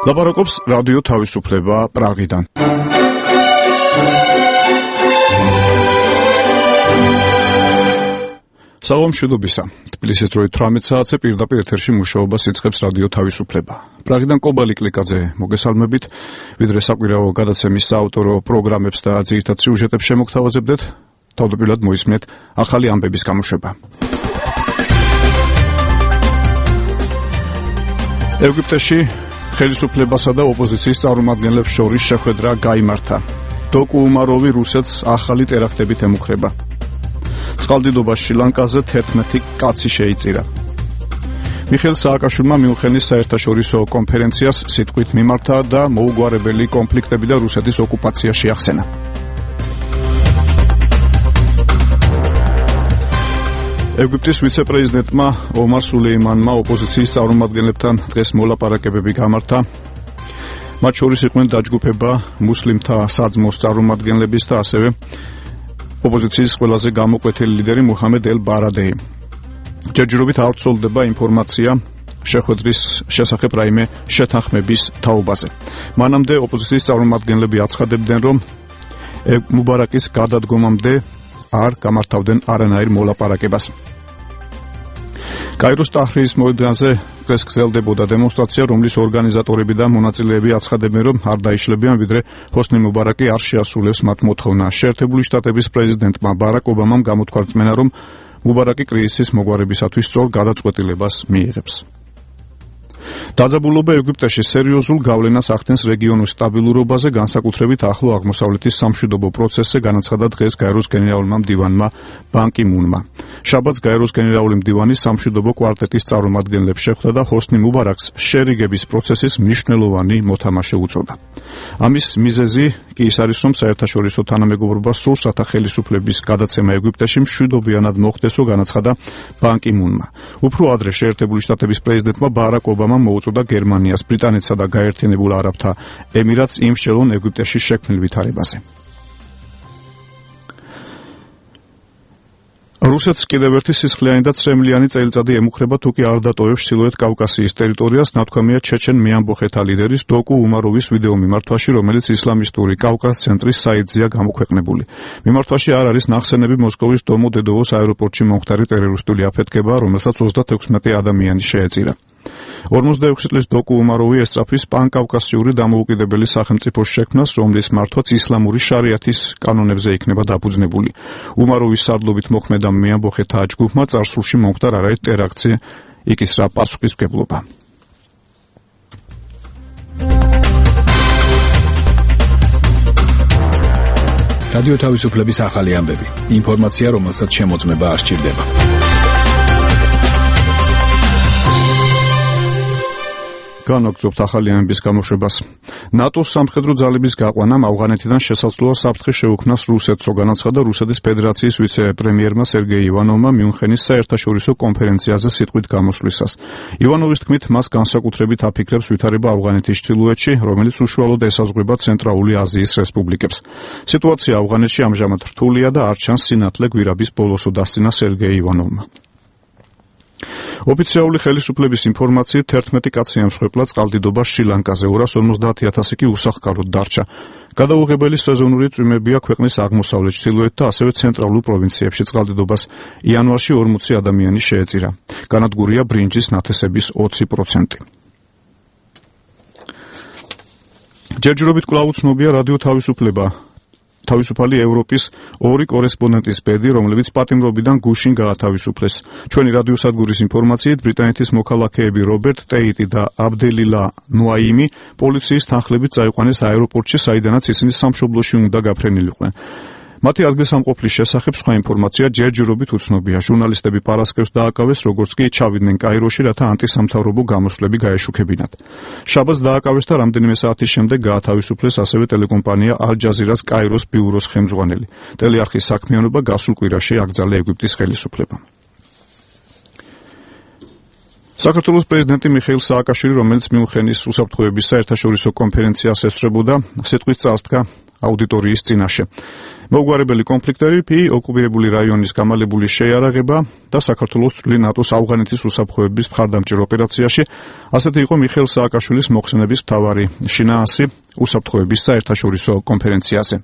ლაპარაკობს რადიო თავისუფლება პრაღიდან. საღამოშიდობისა. თბილისის დროით 18 საათზე პირდაპირ ეთერში მუშაობას იწყებს რადიო თავისუფლება. პრაღიდან კობალი კლიკაძე მოგესალმებით. ვიდრე საკვირაო გადაცემის საავტორო პროგრამებს და ძირითად სიუჟეტებს შემოგთავაზებდეთ, თავდაპირველად მოისმენთ ახალი ამბების გამოშვება. ეგვიპტეში ხელისუფლებასა და ოპოზიციის წარმომადგენლებს შორის შეხვედრა გაიმართა. დოკუ უმაროვი რუსეთს ახალი ტერაქტებით ემუქრება. წყალდიდობა შრი-ლანკაზე 11 კაცი შეიწირა. მიხეილ სააკაშვილმა მიუნხენის საერთაშორისო კონფერენციას სიტყვით მიმართა და მოუგვარებელი კონფლიქტები და რუსეთის ოკუპაცია შეახსენა. ეგვიპტის ვიცე-პრეზიდენტმა ომარ სულეიმანმა ოპოზიციის წარმომადგენლებთან დღეს მოლაპარაკებები გამართა. მათ შორის იყვნენ დაჯგუფება მუსლიმთა საძმოს წარმომადგენლების და ასევე ოპოზიციის ყველაზე გამოკვეთილი ლიდერი მუჰამედ ელ-ბარადეი. ჯერჯერობით არ ვრცელდება ინფორმაცია შეხვედრის შესახებ რაიმე შეთანხმების თაობაზე. მანამდე ოპოზიციის წარმომადგენლები აცხადებდნენ, რომ მუბარაკის გადადგომამდე არ გამართავდნენ არანაირ მოლაპარაკებას. კაიროს ტაჰრირის მოედანზე დღეს გრძელდებოდა დემონსტრაცია, რომლის ორგანიზატორები და მონაწილეები აცხადებენ, რომ არ დაიშლებიან, ვიდრე ჰოსნი მუბარაკი არ შეასრულებს მათ მოთხოვნას. შეერთებული შტატების პრეზიდენტმა ბარაკ ობამამ გამოთქვა რწმენა, რომ მუბარაკი კრიზისის მოგვარებისათვის სწორ გადაწყვეტილებას მიიღებს. დაძაბულობა ეგვიპტეში სერიოზულ გავლენას ახდენს რეგიონის სტაბილურობაზე, განსაკუთრებით ახლო აღმოსავლეთის სამშვიდობო პროცესზე, განაცხადა დღეს გაეროს გენერალურმა მდივანმა ბან კი მუნმა. შაბათს გაეროს გენერალური მდივანი სამშვიდობო კვარტეტის წარმომადგენლებს შეხვდა და ჰოსნი მუბარაკს შერიგების პროცესის მნიშვნელოვანი მოთამაშე უწოდა. ამის მიზეზი კი ის არის, რომ საერთაშორისო თანამეგობრობა სურს, რათა ხელისუფლების გადაცემა ეგვიპტეში მშვიდობიანად მოხდეს, განაცხადა ბან კი მუნმა. უფრო ადრე შეერთებული შტატების პრეზიდენტმა ბარაკ ობამამ მოუწოდა გერმანიას, ბრიტანეთსა და გაერთიანებულ არაბთა ემირატს იმსჯელონ ეგვიპტეში შექმნილ ვითარებაზე. რუსეთს კიდევ ერთი სისხლიანი და წრემლიანი წელიწადი ემუქრება, თუ კი არ დატოვებს ჩრდილოეთ კავკასიის ტერიტორიას, ნათქვამია ჩეჩენ მეამბოხეთა ლიდერის დოკუ უმაროვის ვიდეო მიმართვაში, რომელიც ისლამისტური კავკას ცენტრის საიტზეა გამოქვეყნებული. მიმართვაში არ არის ნახსენები მოსკოვის დომოდედოვოს აეროპორტში მომხდარი ტერორისტული აფეთქება, რომელსაც 36 ადამიანი შეეწირა. 46 წლის დოკუ უმაროვი ესწრაფის პანკავკასიური დამოუკიდებელი სახელმწიფოს შექმნას, რომლის მართვაც ისლამური შარიათის კანონებზე იქნება დაფუძნებული. უმაროვის სარდლობით მოქმედა მეამბოხეთა ჯგუფმა წარსულში მომხდარ არაერთ ტერაქტზე იკისრა პასუხისმგებლობა. რადიო თავისუფლების ახალი ამბები. ინფორმაცია, რომელსაც შემოწმება არ სჭირდება. განაგრძობთ ახალი ამბების გამოშვებას. ნატოს სამხედრო ძალების გაყვანამ ავღანეთიდან შესაძლოა საფრთხე შეუქმნას რუსეთს, განაცხადა რუსეთის ფედერაციის ვიცე-პრემიერმა სერგეი ივანოვმა მიუნხენის საერთაშორისო კონფერენციაზე სიტყვით გამოსვლისას. ივანოვის თქმით, მას განსაკუთრებით აფიქრებს ვითარება ავღანეთის ჩრდილოეთში, რომელიც უშუალოდ ესაზღვრება ცენტრალური აზიის რესპუბლიკებს. სიტუაცია ავღანეთში ამჟამად რთულია და არ ჩანს სინათლე გვირაბის ბოლოსო დასცინა სერგეი ივანოვმა. ოფიციალური ხელისუფლების ინფორმაციით 11 კაცი ემსხვერპლა წყალდიდობა შრი-ლანკაზე, 250,000 კი უსახკაროდ დარჩა. გადაუღებელი სეზონური წვიმებია ქვეყნის აღმოსავლეთ, ჩრდილოეთ და ასევე ცენტრალურ პროვინციებში. წყალდიდობას იანვარში 40 ადამიანი შეეწირა. განადგურია ბრინჯის ნათესების 20%. ჯერჯერობით კვლავ უცნობია რადიო თავისუფლება. თავისუფალი ევროპის 2 კორესპონდენტის ბედი, რომლებიც პატიმრობიდან გუშინ გაათავისუფლეს. ჩვენი რადიოსადგურის ინფორმაციით, ბრიტანეთის მოქალაქეები რობერტ ტეიტი და აბდელილა ნუაიმი პოლიციის თანხლებით წაიყვანეს აეროპორტში, საიდანაც ისინი სამშობლოში უნდა გაფრენილიყვნენ. მათი ადგილსამყოფლის შესახებ სხვა ინფორმაცია ჯერჯერობით უცნობია. ჟურნალისტები პარასკევს დააკავეს, როგორც კი ჩავიდნენ კაიროში, რათა ანტისამთავრობო გამოსვლები გაეშუქებინათ. შაბათს დააკავეს და რამდენიმე საათის შემდეგ გაათავისუფლეს ასევე ტელეკომპანია ალ-ჯაზირას კაიროს ბიუროს ხელმძღვანელი. ტელეარხის საქმიანობა გასულ კვირაში აკრძალა ეგვიპტის ხელისუფლებამ. საქართველოს პრეზიდენტი მიხეილ სააკაშვილი, რომელიც მიუნხენის უსაფრთხოების საერთაშორისო კონფერენციას ესწრებოდა, სიტყვით წასდგა აუდიტორიის წინაშე. მოუგვარებელი კონფლიქტები, ოკუპირებული რაიონის გამალებული შეიარაღება და საქართველოს წვლილი ნატოს ავღანეთის უსაფრთხოების მხარდამჭერ ოპერაციაში, ასეთი იყო მიხეილ სააკაშვილის მოხსენების მთავარი შინაარსი უსაფრთხოების საერთაშორისო კონფერენციაზე.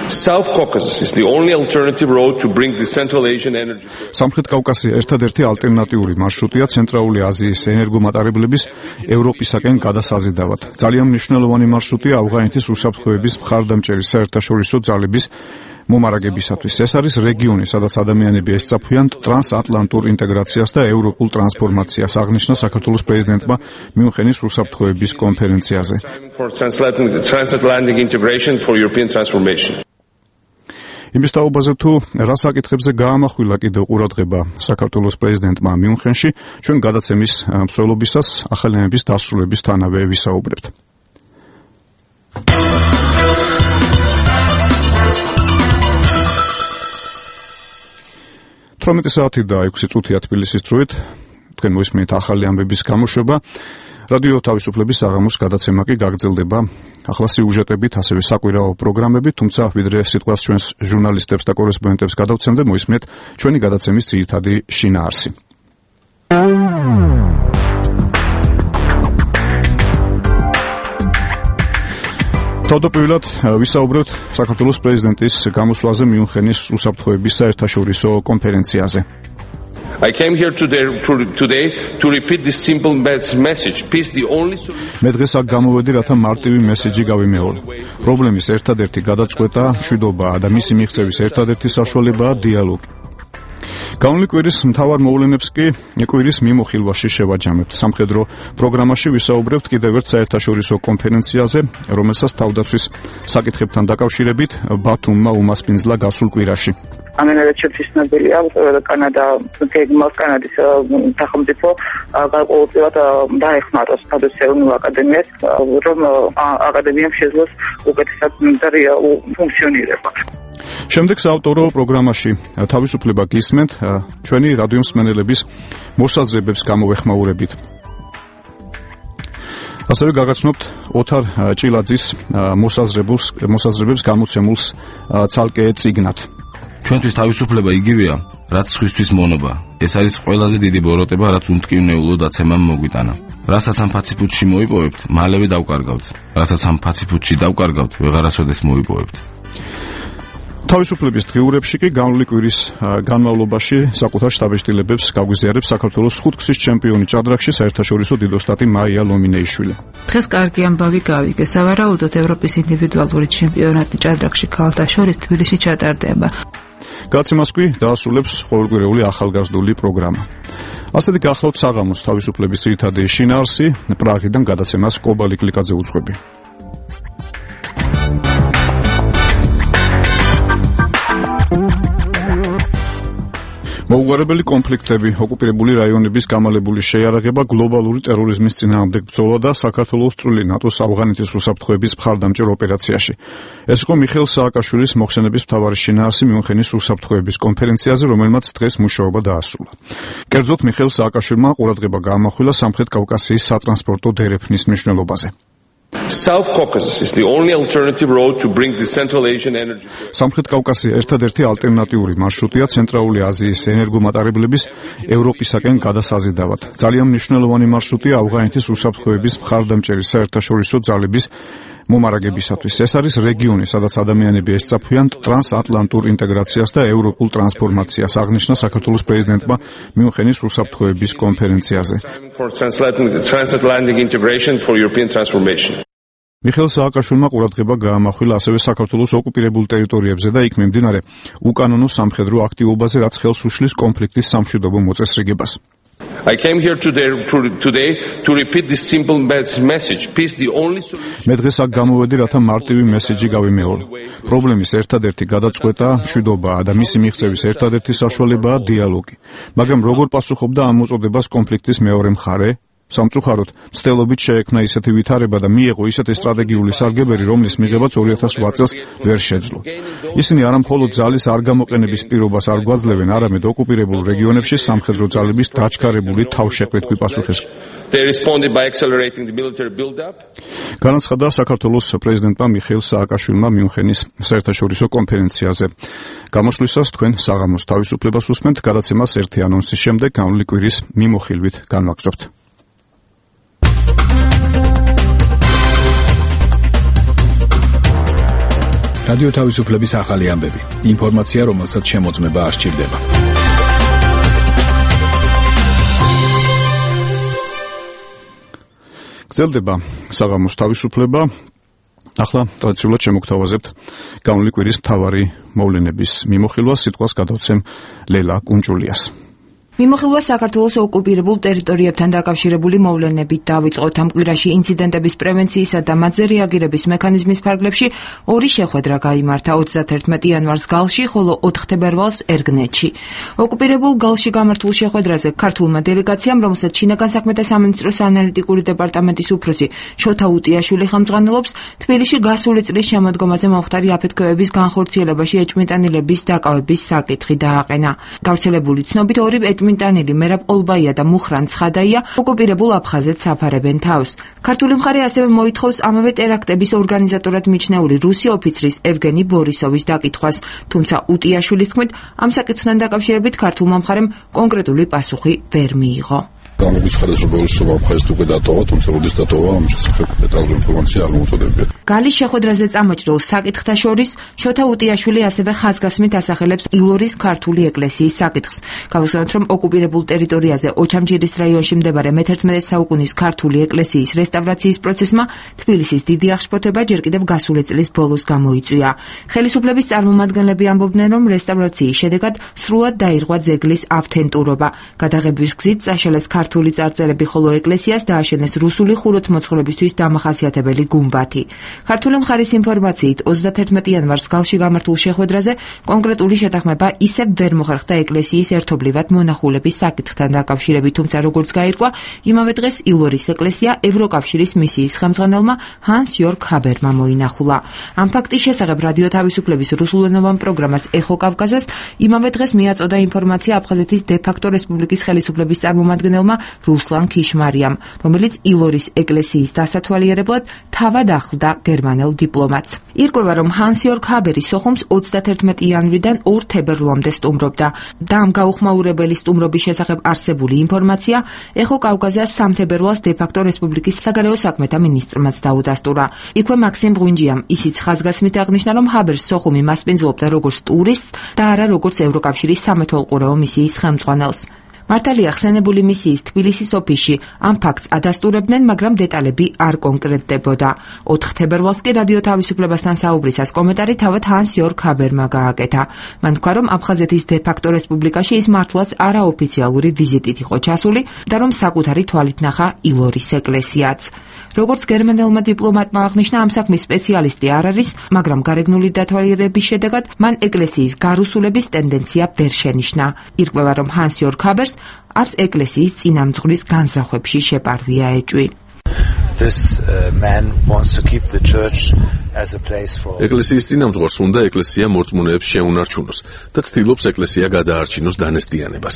South Caucasus is the only alternative road to bring the Central Asian energy. სამხრეთ კავკასია ერთადერთი ალტერნატიული მარშრუტია ცენტრალური აზიის ენერგომატარებლების ევროპისაკენ გადასაზიდავად. ძალიან მნიშვნელოვანი მარშრუტია ავღანეთის უსაფრთხოების მხარდამჭერი საერთაშორისო ძალების მომარაგებისათვის. ეს არის რეგიონი, სადაც ადამიანები ესწაფვიან ტრანსატლანტურ ინტეგრაციას და ევროპულ ტრანსფორმაციას, აღნიშნა საქართველოს პრეზიდენტმა მიუნხენის უსაფრთხოების კონფერენციაზე. Transatlantic integration for European transformation. იმის თაობაზე თუ რა საკითხებზე გაამახვილა კიდევ ყურადღება საქართველოს პრეზიდენტმა მიუნხენში, ჩვენ გადაცემის მსვლელობისას ახალიანების დასრულებისთანავე ვისაუბრებთ. 18 საათი და 6 წუთია თბილისის დროით. თქვენ მოისმენთ ახალი ამბების გამოშვება. რადიო თავისუფლების საღამოს გადაცემა კი გაგრძელდება ახლა სიუჟეტებით, ასევე საკვირაო პროგრამებით, თუმცა ვიდრე სიტყვას ჩვენს ჟურნალისტებს და კორესპონდენტებს გადავცემდე, მოისმენთ ჩვენი გადაცემის ძირითადი შინაარსი. თავდაპირველად ვისაუბრებთ საქართველოს პრეზიდენტის გამოსვლაზე მიუნხენის უსაფრთხოების საერთაშორისო კონფერენციაზე. I came here today to repeat this simple message. Peace the only solution. მე დღეს აქ გამოვედი, რათა მარტივი მესეჯი გავიმეორო. პრობლემის ერთადერთი გადაწყვეტა მშვიდობაა და მისი მიღწევის ერთადერთი საშუალებაა დიალოგი. Განვლი კვირის მთავარ მოვლენებს კი კვირის მიმოხილვაში შევაჯამებთ. სამხედრო პროგრამაში ვისაუბრებთ კიდევ ერთ საერთაშორისო კონფერენციაზე, რომელსაც თავდაცვის საკითხებთან დაკავშირებით ბათუმმა უმასპინძლა გასულ კვირაში. ამენერეჩების ცნობილია, კანადის სახელმწიფო გარკვეულწილად დაეხმაროს ევროპულ აკადემიას, რომ აკადემიამ შეძლოს უკეთესად და რეალურ ფუნქციონირება. შემდეგ საავტორო პროგრამაში თავისუფლება გისმენთ ჩვენი რადიო მსმენელების მოსაზრებებს გამოვეხმაურებით. ასევე გაგაცნობთ ოთარ ჭილაძის მოსაზრებებს გამოცემულს ცალკე წიგნად. ჩვენთვის თავისუფლება იგივეა, რაც სხვისთვის მონობა. ეს არის ყველაზე დიდი ბოროტება, რაც უმტკივნეულო დაცემამ მოგვიტანა. რასაც ამ ფაციფუტში მოიპოვებთ, მალევე დავკარგავთ. რასაც ამ ფაციფუტში დავკარგავთ, ვეღარასოდეს მოიპოვებთ. თავისუფლების დღიურებში კი განვლი კვირის განმავლობაში საკუთარ შტაბ-შტილებებს გაგვიზიარებს საქართველოს ხუთგზის ჩემპიონი ჭადრაკში საერთაშორისო დიდოსტატი მაია ლომინეიშვილი. დღეს კარგი ამბავი გავიგე. სავარაუდოდ ევროპის ინდივიდუალური ჩემპიონატი ჭადრაკში ქალთა შორის თბილისში ჩატარდება. გადაცემას კი დაასრულებს ყოველკვირეული ახალგაზრდული პროგრამა. ასეთი გახლავთ საღამოს თავისუფლების ძირითადი შინაარსი, პრაღიდან გადაცემას კობალი კლიკაძე უძღვები. მოუგვარებელი კონფლიქტები, ოკუპირებული რაიონების გამალებული შეიარაღება, გლობალური ტერორიზმის წინააღმდეგ ბრძოლა და საქართველოს წვლილი ნატოს ავღანეთის უსაფრთხოების მხარდამჭერ ოპერაციაში. ეს იყო მიხეილ სააკაშვილის მოხსენების მთავარი შინაარსი მიუნხენის უსაფრთხოების კონფერენციაზე, რომელმაც დღეს მუშაობა დაასრულა. კერძოდ მიხეილ სააკაშვილმა ყურადღება გაამახვილა სამხრეთ კავკასიის სატრანსპორტო დერეფნის მნიშვნელობაზე. South Caucasus is the only alternative road to bring the Central Asian energy. სამხრეთ კავკასია ერთადერთი ალტერნატიული მარშრუტია ცენტრალური აზიის ენერგომატარებლების ევროპისაკენ გადასაზიდავად. ძალიან მნიშვნელოვანი მარშრუტია ავღანეთის უსაფრთხოების მხარდამჭერი საერთაშორისო ძალების მომარაგებისათვის. ეს არის რეგიონი, სადაც ადამიანები ესწაფვიან ტრანსატლანტურ ინტეგრაციას და ევროპულ ტრანსფორმაციას, აღნიშნა საქართველოს პრეზიდენტმა მიუნხენის უსაფრთხოების კონფერენციაზე. Transatlantic integration for European transformation. მიხეილ სააკაშვილმა ყურადღება გაამახვილა ასევე საქართველოს ოკუპირებულ ტერიტორიებზე და იქ მიმდინარე უკანონო სამხედრო აქტივობაზე, რაც ხელს უშლის კონფლიქტის სამშვიდობო მოწესრიგებას. I came here today to repeat this simple message. Peace the only solution. მე დღეს აქ გამოვედი, რათა მარტივი მესეჯი გავიმეორო. პრობლემის ერთადერთი გადაწყვეტა მშვიდობაა და მისი მიღწევის ერთადერთი საშუალებაა დიალოგი. მაგრამ როგორ პასუხობდა ამ მოწოდებას კონფლიქტის მეორე მხარე? სამწუხაროდ, მცდელობით შეექმნა ისეთი ვითარება და მიეღო ისეთი სტრატეგიული სარგებელი, რომლის მიღებაც 2008 წელს ვერ შეძლო. ისინი არა მხოლოდ ძალის არ გამოყენების პირობას არ გვაძლევენ, არამედ ოკუპირებულ რეგიონებში სამხედრო ძალების დაჩქარებული თავშეყრით გვიპასუხეს. They responded by accelerating the military build-up. განაცხადა საქართველოს პრეზიდენტმა მიხეილ სააკაშვილმა მიუნხენის საერთაშორისო კონფერენციაზე. გამოსვლისას თქვენ საღამოს თავისუფლებას უსმენთ, გადაცემას ერთი ანონსის შემდეგ განვლილი კვირის მიმოხილვით განვაგრძობთ. რადიო თავისუფლების ახალი ამბები. ინფორმაცია, რომელსაც შემოწმება არ სჭირდება. გრძელდება საღამოს თავისუფლება. ახლა ტრადიციულად შემოგთავაზებთ განვლილი კვირის მთავარი მოვლენების მიმოხილვას. სიტყვას გადავცემ ლელა კუნჭულიას. მიმოხილვა საქართველოს ოკუპირებულ ტერიტორიებთან დაკავშირებული მოვლენებით დავიწყოთ. ამ კვირაში ინციდენტების პრევენციისა და მათზე რეაგირების მექანიზმის ფარგლებში ორი შეხვედრა გაიმართა 31 იანვარს გალში, ხოლო 4 თებერვალს ერგნეთში. ოკუპირებულ გალში გამართულ შეხვედრაზე ქართულმა დელეგაციამ, რომელსაც შინაგან საქმეთა სამინისტროს ანალიტიკური დეპარტამენტის უფროსი შოთა უტიაშვილი ხელმძღვანელობს, თბილისში გასული წლის შემოდგომაზე მომხდარი აფეთქებების განხორციელებაში ეჭვმიტანილების დაკავების საკითხი დააყენა. გავრცელებული ცნობით ორი მინტანილი მერაბ ოლბაია და მუხრან ცხადაია ოკუპირებულ აფხაზეთს აფარებენ თავს. ქართული მხარე ასევე მოითხოვს ამავე ტერაქტების ორგანიზატორად მიჩნეული რუსი ოფიცრის ევგენი ბორისოვის დაკითხვას, თუმცა უტიაშვილის თქმით, ამ საკითხთან დაკავშირებით ქართულმა მხარემ კონკრეტული პასუხი ვერ მიიღო. გამოგვიცხადეს, რომ ბორისოვმა აფხაზეთს უკვე დატოვა, თუმცა როდის დატოვა, ამ შესახებ დეტალური ინფორმაცია არ მოუწოდებია. გალის შეხვედრაზე წამოჭრილ საკითხთა შორის შოთა უტიაშვილი ასევე ხაზგასმით ასახელებს ილორის ქართული ეკლესიის საკითხს. გავიხსენოთ, რომ ოკუპირებულ ტერიტორიაზე ოჩამჯირის რაიონში მდებარე მე-11 საუკუნის ქართული ეკლესიის რესტავრაციის პროცესმა თბილისის დიდი აღშფოთება ჯერ კიდევ გასული წლის ბოლოს გამოიწვია. ხელისუფლების წარმომადგენლები ამბობდნენ, რომ რესტავრაციის შედეგად სრულად დაირღვა ძეგლის ავთენტურობა. გადაღების გზით წაშალეს ქართული წარწერები, ხოლო ეკლესიას დააშენეს რუსული ხუროთმოძღვრებისთვის დამახასიათებელი გუმბათი. ქართული მხარის ინფორმაციით 31 იანვარს გალში გამართულ შეხვედრაზე კონკრეტული შეთანხმება ისევ ვერ მოხერხდა ეკლესიის ერთობლივად მონახულების საკითხთან დაკავშირებით, თუმცა როგორც გაირკვა, იმავე დღეს ილორის ეკლესია ევროკავშირის მისიის ხელმძღვანელმა ჰანს იორგ ჰაბერმა მოინახულა. ამ ფაქტის შესახებ რადიო თავისუფლების რუსულენოვან პროგრამას ეხო კავკაზას იმავე დღეს მიაწოდა ინფორმაცია აფხაზეთის დე-ფაქტო რესპუბლიკის ხელისუფლების წარმომადგენელმა რუსლან ქიშმარიამ, რომელიც ილორის ეკლესიის დასათვალიერებლად თავად ახლდა გერმანელ დიპლომატს. ირკვევა, რომ ჰანს იორგ ჰაბერი სოხუმს 31 იანვრიდან 2 თებერვლამდე სტუმრობდა და ამ გაუხმაურებელი სტუმრობის შესახებ არსებული ინფორმაცია ეხო კავკაზას 3 თებერვალს დე-ფაქტო რესპუბლიკის საგარეო საქმეთა მინისტრმაც დაუდასტურა. იქვე მაქსიმ ღვინჯიამ ისიც ხაზგასმით აღნიშნა, რომ ჰაბერს სოხუმი მასპინძლობდა როგორც ტურისტს და არა როგორც ევროკავშირის სამეთვალყურეო მისიის ხელმძღვანელს. მართალია ხსენებული მისიის თბილისის ოფისში ამ ფაქტს ადასტურებდნენ, მაგრამ დეტალები არ კონკრეტდებოდა. 4 თებერვალს კი რადიო თავისუფლებასთან საუბრისას კომენტარი თავად ჰანს იორგ ჰაბერმა გააკეთა. მან თქვა, რომ აფხაზეთის დე-ფაქტო რესპუბლიკაში ის მართლაც არაოფიციალური ვიზიტით იყო ჩასული და რომ საკუთარი თვალით ნახა ილორის ეკლესიაც. როგორც გერმანელმა დიპლომატმა აღნიშნა, ამ საქმის სპეციალისტი არ არის, მაგრამ გარეგნული დათვალიერების შედეგად მან ეკლესიის გარუსულების ტენდენცია ვერ შენიშნა. ირკვევა, რომ ჰანს იორგ ჰაბერს არც ეკლესიის წინამძღვრის განზრახვებში შეპარვია ეჭვი. ეკლესიის წინამძღვარს უნდა ეკლესია მორწმუნეებს შეუნარჩუნოს და ცდილობს ეკლესია გადაარჩინოს დანესტიანებას.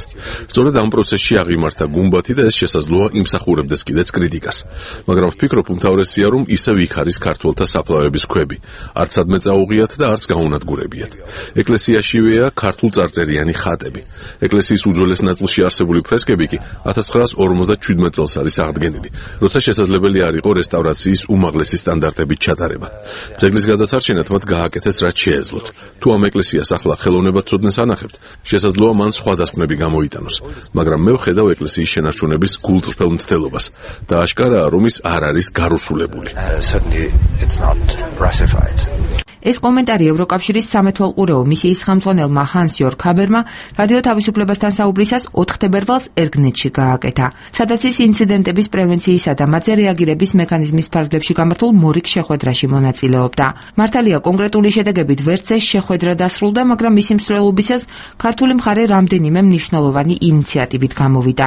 სწორედ ამ პროცესში აღიმართა გუმბათი და ეს შესაძლოა იმსახურებდეს კიდეც კრიტიკას. მაგრამ ვფიქრობ, უმთავრესია, რომ ისევ იქ არის ქართველთა საფლავების ქვები. არც სადმე წაუღიათ და არც გაუნადგურებიათ. ეკლესიაშივეა ქართულ წარწერიანი ხატები. ეკლესიის უძველეს ნაწილში არსებული ფრესკები კი 1957 წელს არის აღდგენილი, როცა შესაძლებელი არ იყო რესტავრაციის უმაღლესი სტანდარტებით ჩატარება. ძეგლის გადასარჩენად მათ გააკეთეს რაც შეეძლოთ. თუ ამ ეკლესიას ახლა ხელოვნებად ცოდნეს ანახებთ, შესაძლოა მან სხვა დასკვნები გამოიტანოს, მაგრამ მე ვხედავ ეკლესიის შენარჩუნების გულწრფელ მცდელობას და აშკარაა, რომ ის არ არის გარუსულებული. ეს კომენტარი ევროკავშირის სამეთვალყურეო მისიის ხელმძღვანელმა ჰანს იორგ ჰაბერმა რადიო თავისუფლებასთან საუბრისას 4 თებერვალს ერგნეთში გააკეთა, სადაც ის ინციდენტების პრევენციისა და მათზე რეაგირების მექანიზმის ფარგლებში გამართულ მორიგ შეხვედრაში მონაწილეობდა. მართალია კონკრეტული შედეგებით ვერც ეს შეხვედრა დასრულდა, მაგრამ მისი მსვლელობისას ქართული მხარე რამდენიმე მნიშვნელოვანი ინიციატივით გამოვიდა.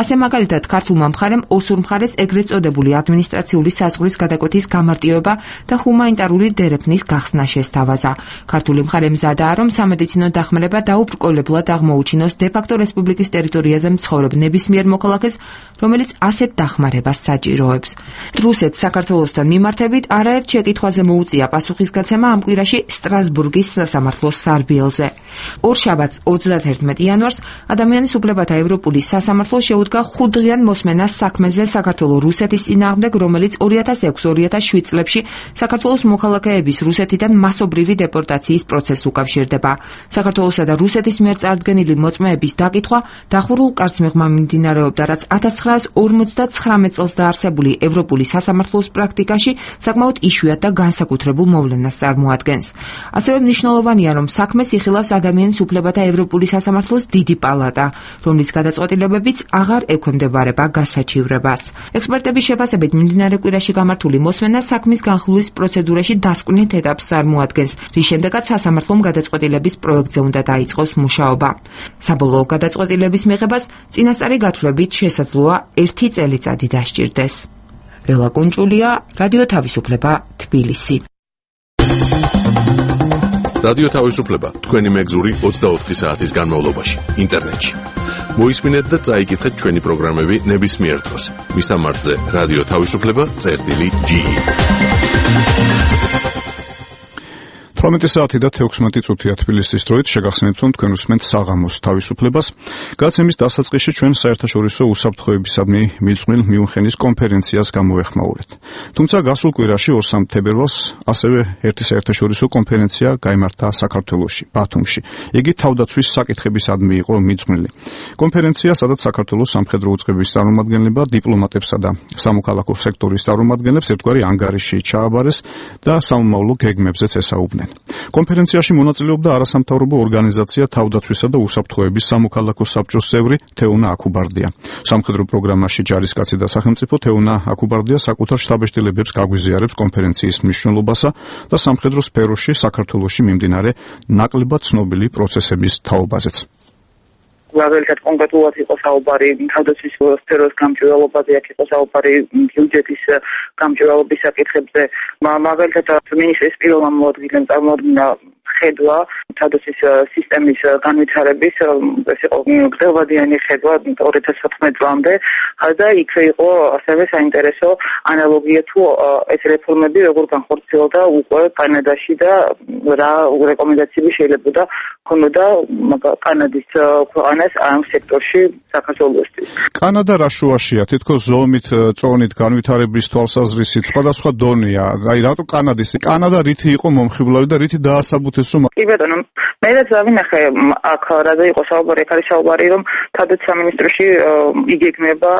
ასე მაგალითად, ქართულმა მხარემ ოსურ მხარეს ეგრეთ წოდებული ადმინისტრაციული საზღვრის გადაკვეთის გამარტივება და ჰუმანიტარული დერეფნის გახსნა შესთავაზა. ქართული მხარე მზადაა, რომ სამედიცინო დახმარება დაუბრკოლებლად აღმოუჩინოს დე-ფაქტო რესპუბლიკის ტერიტორიაზე მცხოვრებ ნებისმიერ მოქალაქეს, რომელიც ასეთ დახმარებას საჭიროებს. რუსეთს საქართველოსთან მიმართებით არაერთ შეკითხვაზე მოუწია პასუხისგაცემა ამ კვირაში სტრასბურგის სასამართლოს სარბიელზე. ორშაბათს 31 იანვარს ადამიანის უფლებათა ევროპული სასამართლო შეუდგა 5 დღიან მოსმენას საქმეზე საქართველოს რუსეთის წინააღმდეგ, რომელიც 2006-2007 წლებში საქართველოს მოქალაქეების რუსეთიდან მასობრივი დეპორტაციის პროცესს უკავშირდება. საქართველოსა და რუსეთის მიერ წარდგენილი მოწმეების დაკითხვა დახურულ კარს მიღმა მიმდინარეობდა, რაც 1959 წელს დაარსებული ევროპული სასამართლოს პრაქტიკაში საკმაოდ იშვიათ და განსაკუთრებულ მოვლენას წარმოადგენს. ასევე მნიშვნელოვანია, რომ საქმეს იხილავს ადამიანის უფლებათა ევროპული სასამართლოს დიდი პალატა, რომლის გადაწყვეტილებებიც აღარ ექვემდებარება გასაჩივრებას. ექსპერტების შეფასებით მიმდინარე კვირაში გამართული მოსმენა საქმის განხილვის პროცედურაში დასკვნით ეტაპს წარმოადგენს, რის შემდეგაც სასამართლომ გადაწყვეტილების პროექტზე უნდა დაიწყოს მუშაობა. საბოლოო გადაწყვეტილების მიღებას წინასწარი გათვლებით შესაძლოა 1 წელიწადი დასჭირდეს. რელა კუნჭულია, რადიო თავისუფლება, თბილისი. რადიო თავისუფლება თქვენი მეგზური 24 საათის განმავლობაში ინტერნეტში. მოისმინეთ და წაიკითხეთ ჩვენი პროგრამები ნებისმიერ დროს. მისამართზე რადიო თავისუფლება.ge 18 საათი და 16 წუთია თბილისის დროით. შეგახსენებთ, რომ თქვენ უსმენთ საღამოს თავისუფლებას. გაცემის დასაწყისში ჩვენ საერთაშორისო უსაფრთხოებისადმი მიძღვნილ მიუნხენის კონფერენციას გამოეხმაურეთ. თუმცა გასულ კვირაში 2-3 თებერვალს ასევე ერთი საერთაშორისო კონფერენცია გაიმართა საქართველოში, ბათუმში. იგი თავდაცვის საკითხებისადმი იყო მიძღვნილი. კონფერენცია, სადაც საქართველოს სამხედრო უწყების წარმომადგენლება, დიპლომატებსა და სამოქალაქო სექტორის წარმომადგენლებს ერთგვარი ანგარიში ჩააბარეს და სამომავლო გეგმებზეც ესაუბნენ. კონფერენციაში მონაწილეობდა არასამთავრობო ორგანიზაცია თავდაცვისა და უსაფრთხოების სამოქალაქო საბჭოს წევრი თეუნა აკუბარდია. სამხედრო პროგრამაში ჯარისკაცი და სახელმწიფო თეუნა აკუბარდია საკუთარ შტაბ-შტილებებს გაგვიზიარებს კონფერენციის მნიშვნელობასა და სამხედრო სფეროში საქართველოში მიმდინარე ნაკლებად ცნობილი პროცესების თაობაზეც. მაგალითად კონკრეტულად იყო საუბარი თავდაცვის სფეროს გამჭვირვალობაზე, აქ იყო საუბარი ბიუჯეტის გამჭვირვალობის საკითხებზე. მაგალითად მინისტრის პირველმა მოადგილემ წარმოადგინა ხედვა თავდაცვის სისტემის განვითარების, ეს იყო გრძელვადიანი ხედვა 2014 წლამდე და იქ იყო ასევე საინტერესო ანალოგია თუ ეს რეფორმები როგორ განხორციელდა უკვე კანადაში და რა რეკომენდაციები შეიძლება ქონოდა კანადის ქვეყანას ამ სექტორში საქართველოსთვის. კანადა რა შუაშია? თითქოს ზომით, წონით, განვითარების თვალსაზრისით სხვადასხვა დონეა. აი რატო კანადა რითი იყო მომხიბლავი და რითი დაასაბუთეს რომ კი ბატონო, მე რაც დავინახე აქ რაზე იყო საუბარი, აქ არის საუბარი რომ თავდაცვის სამინისტროში იგეგმება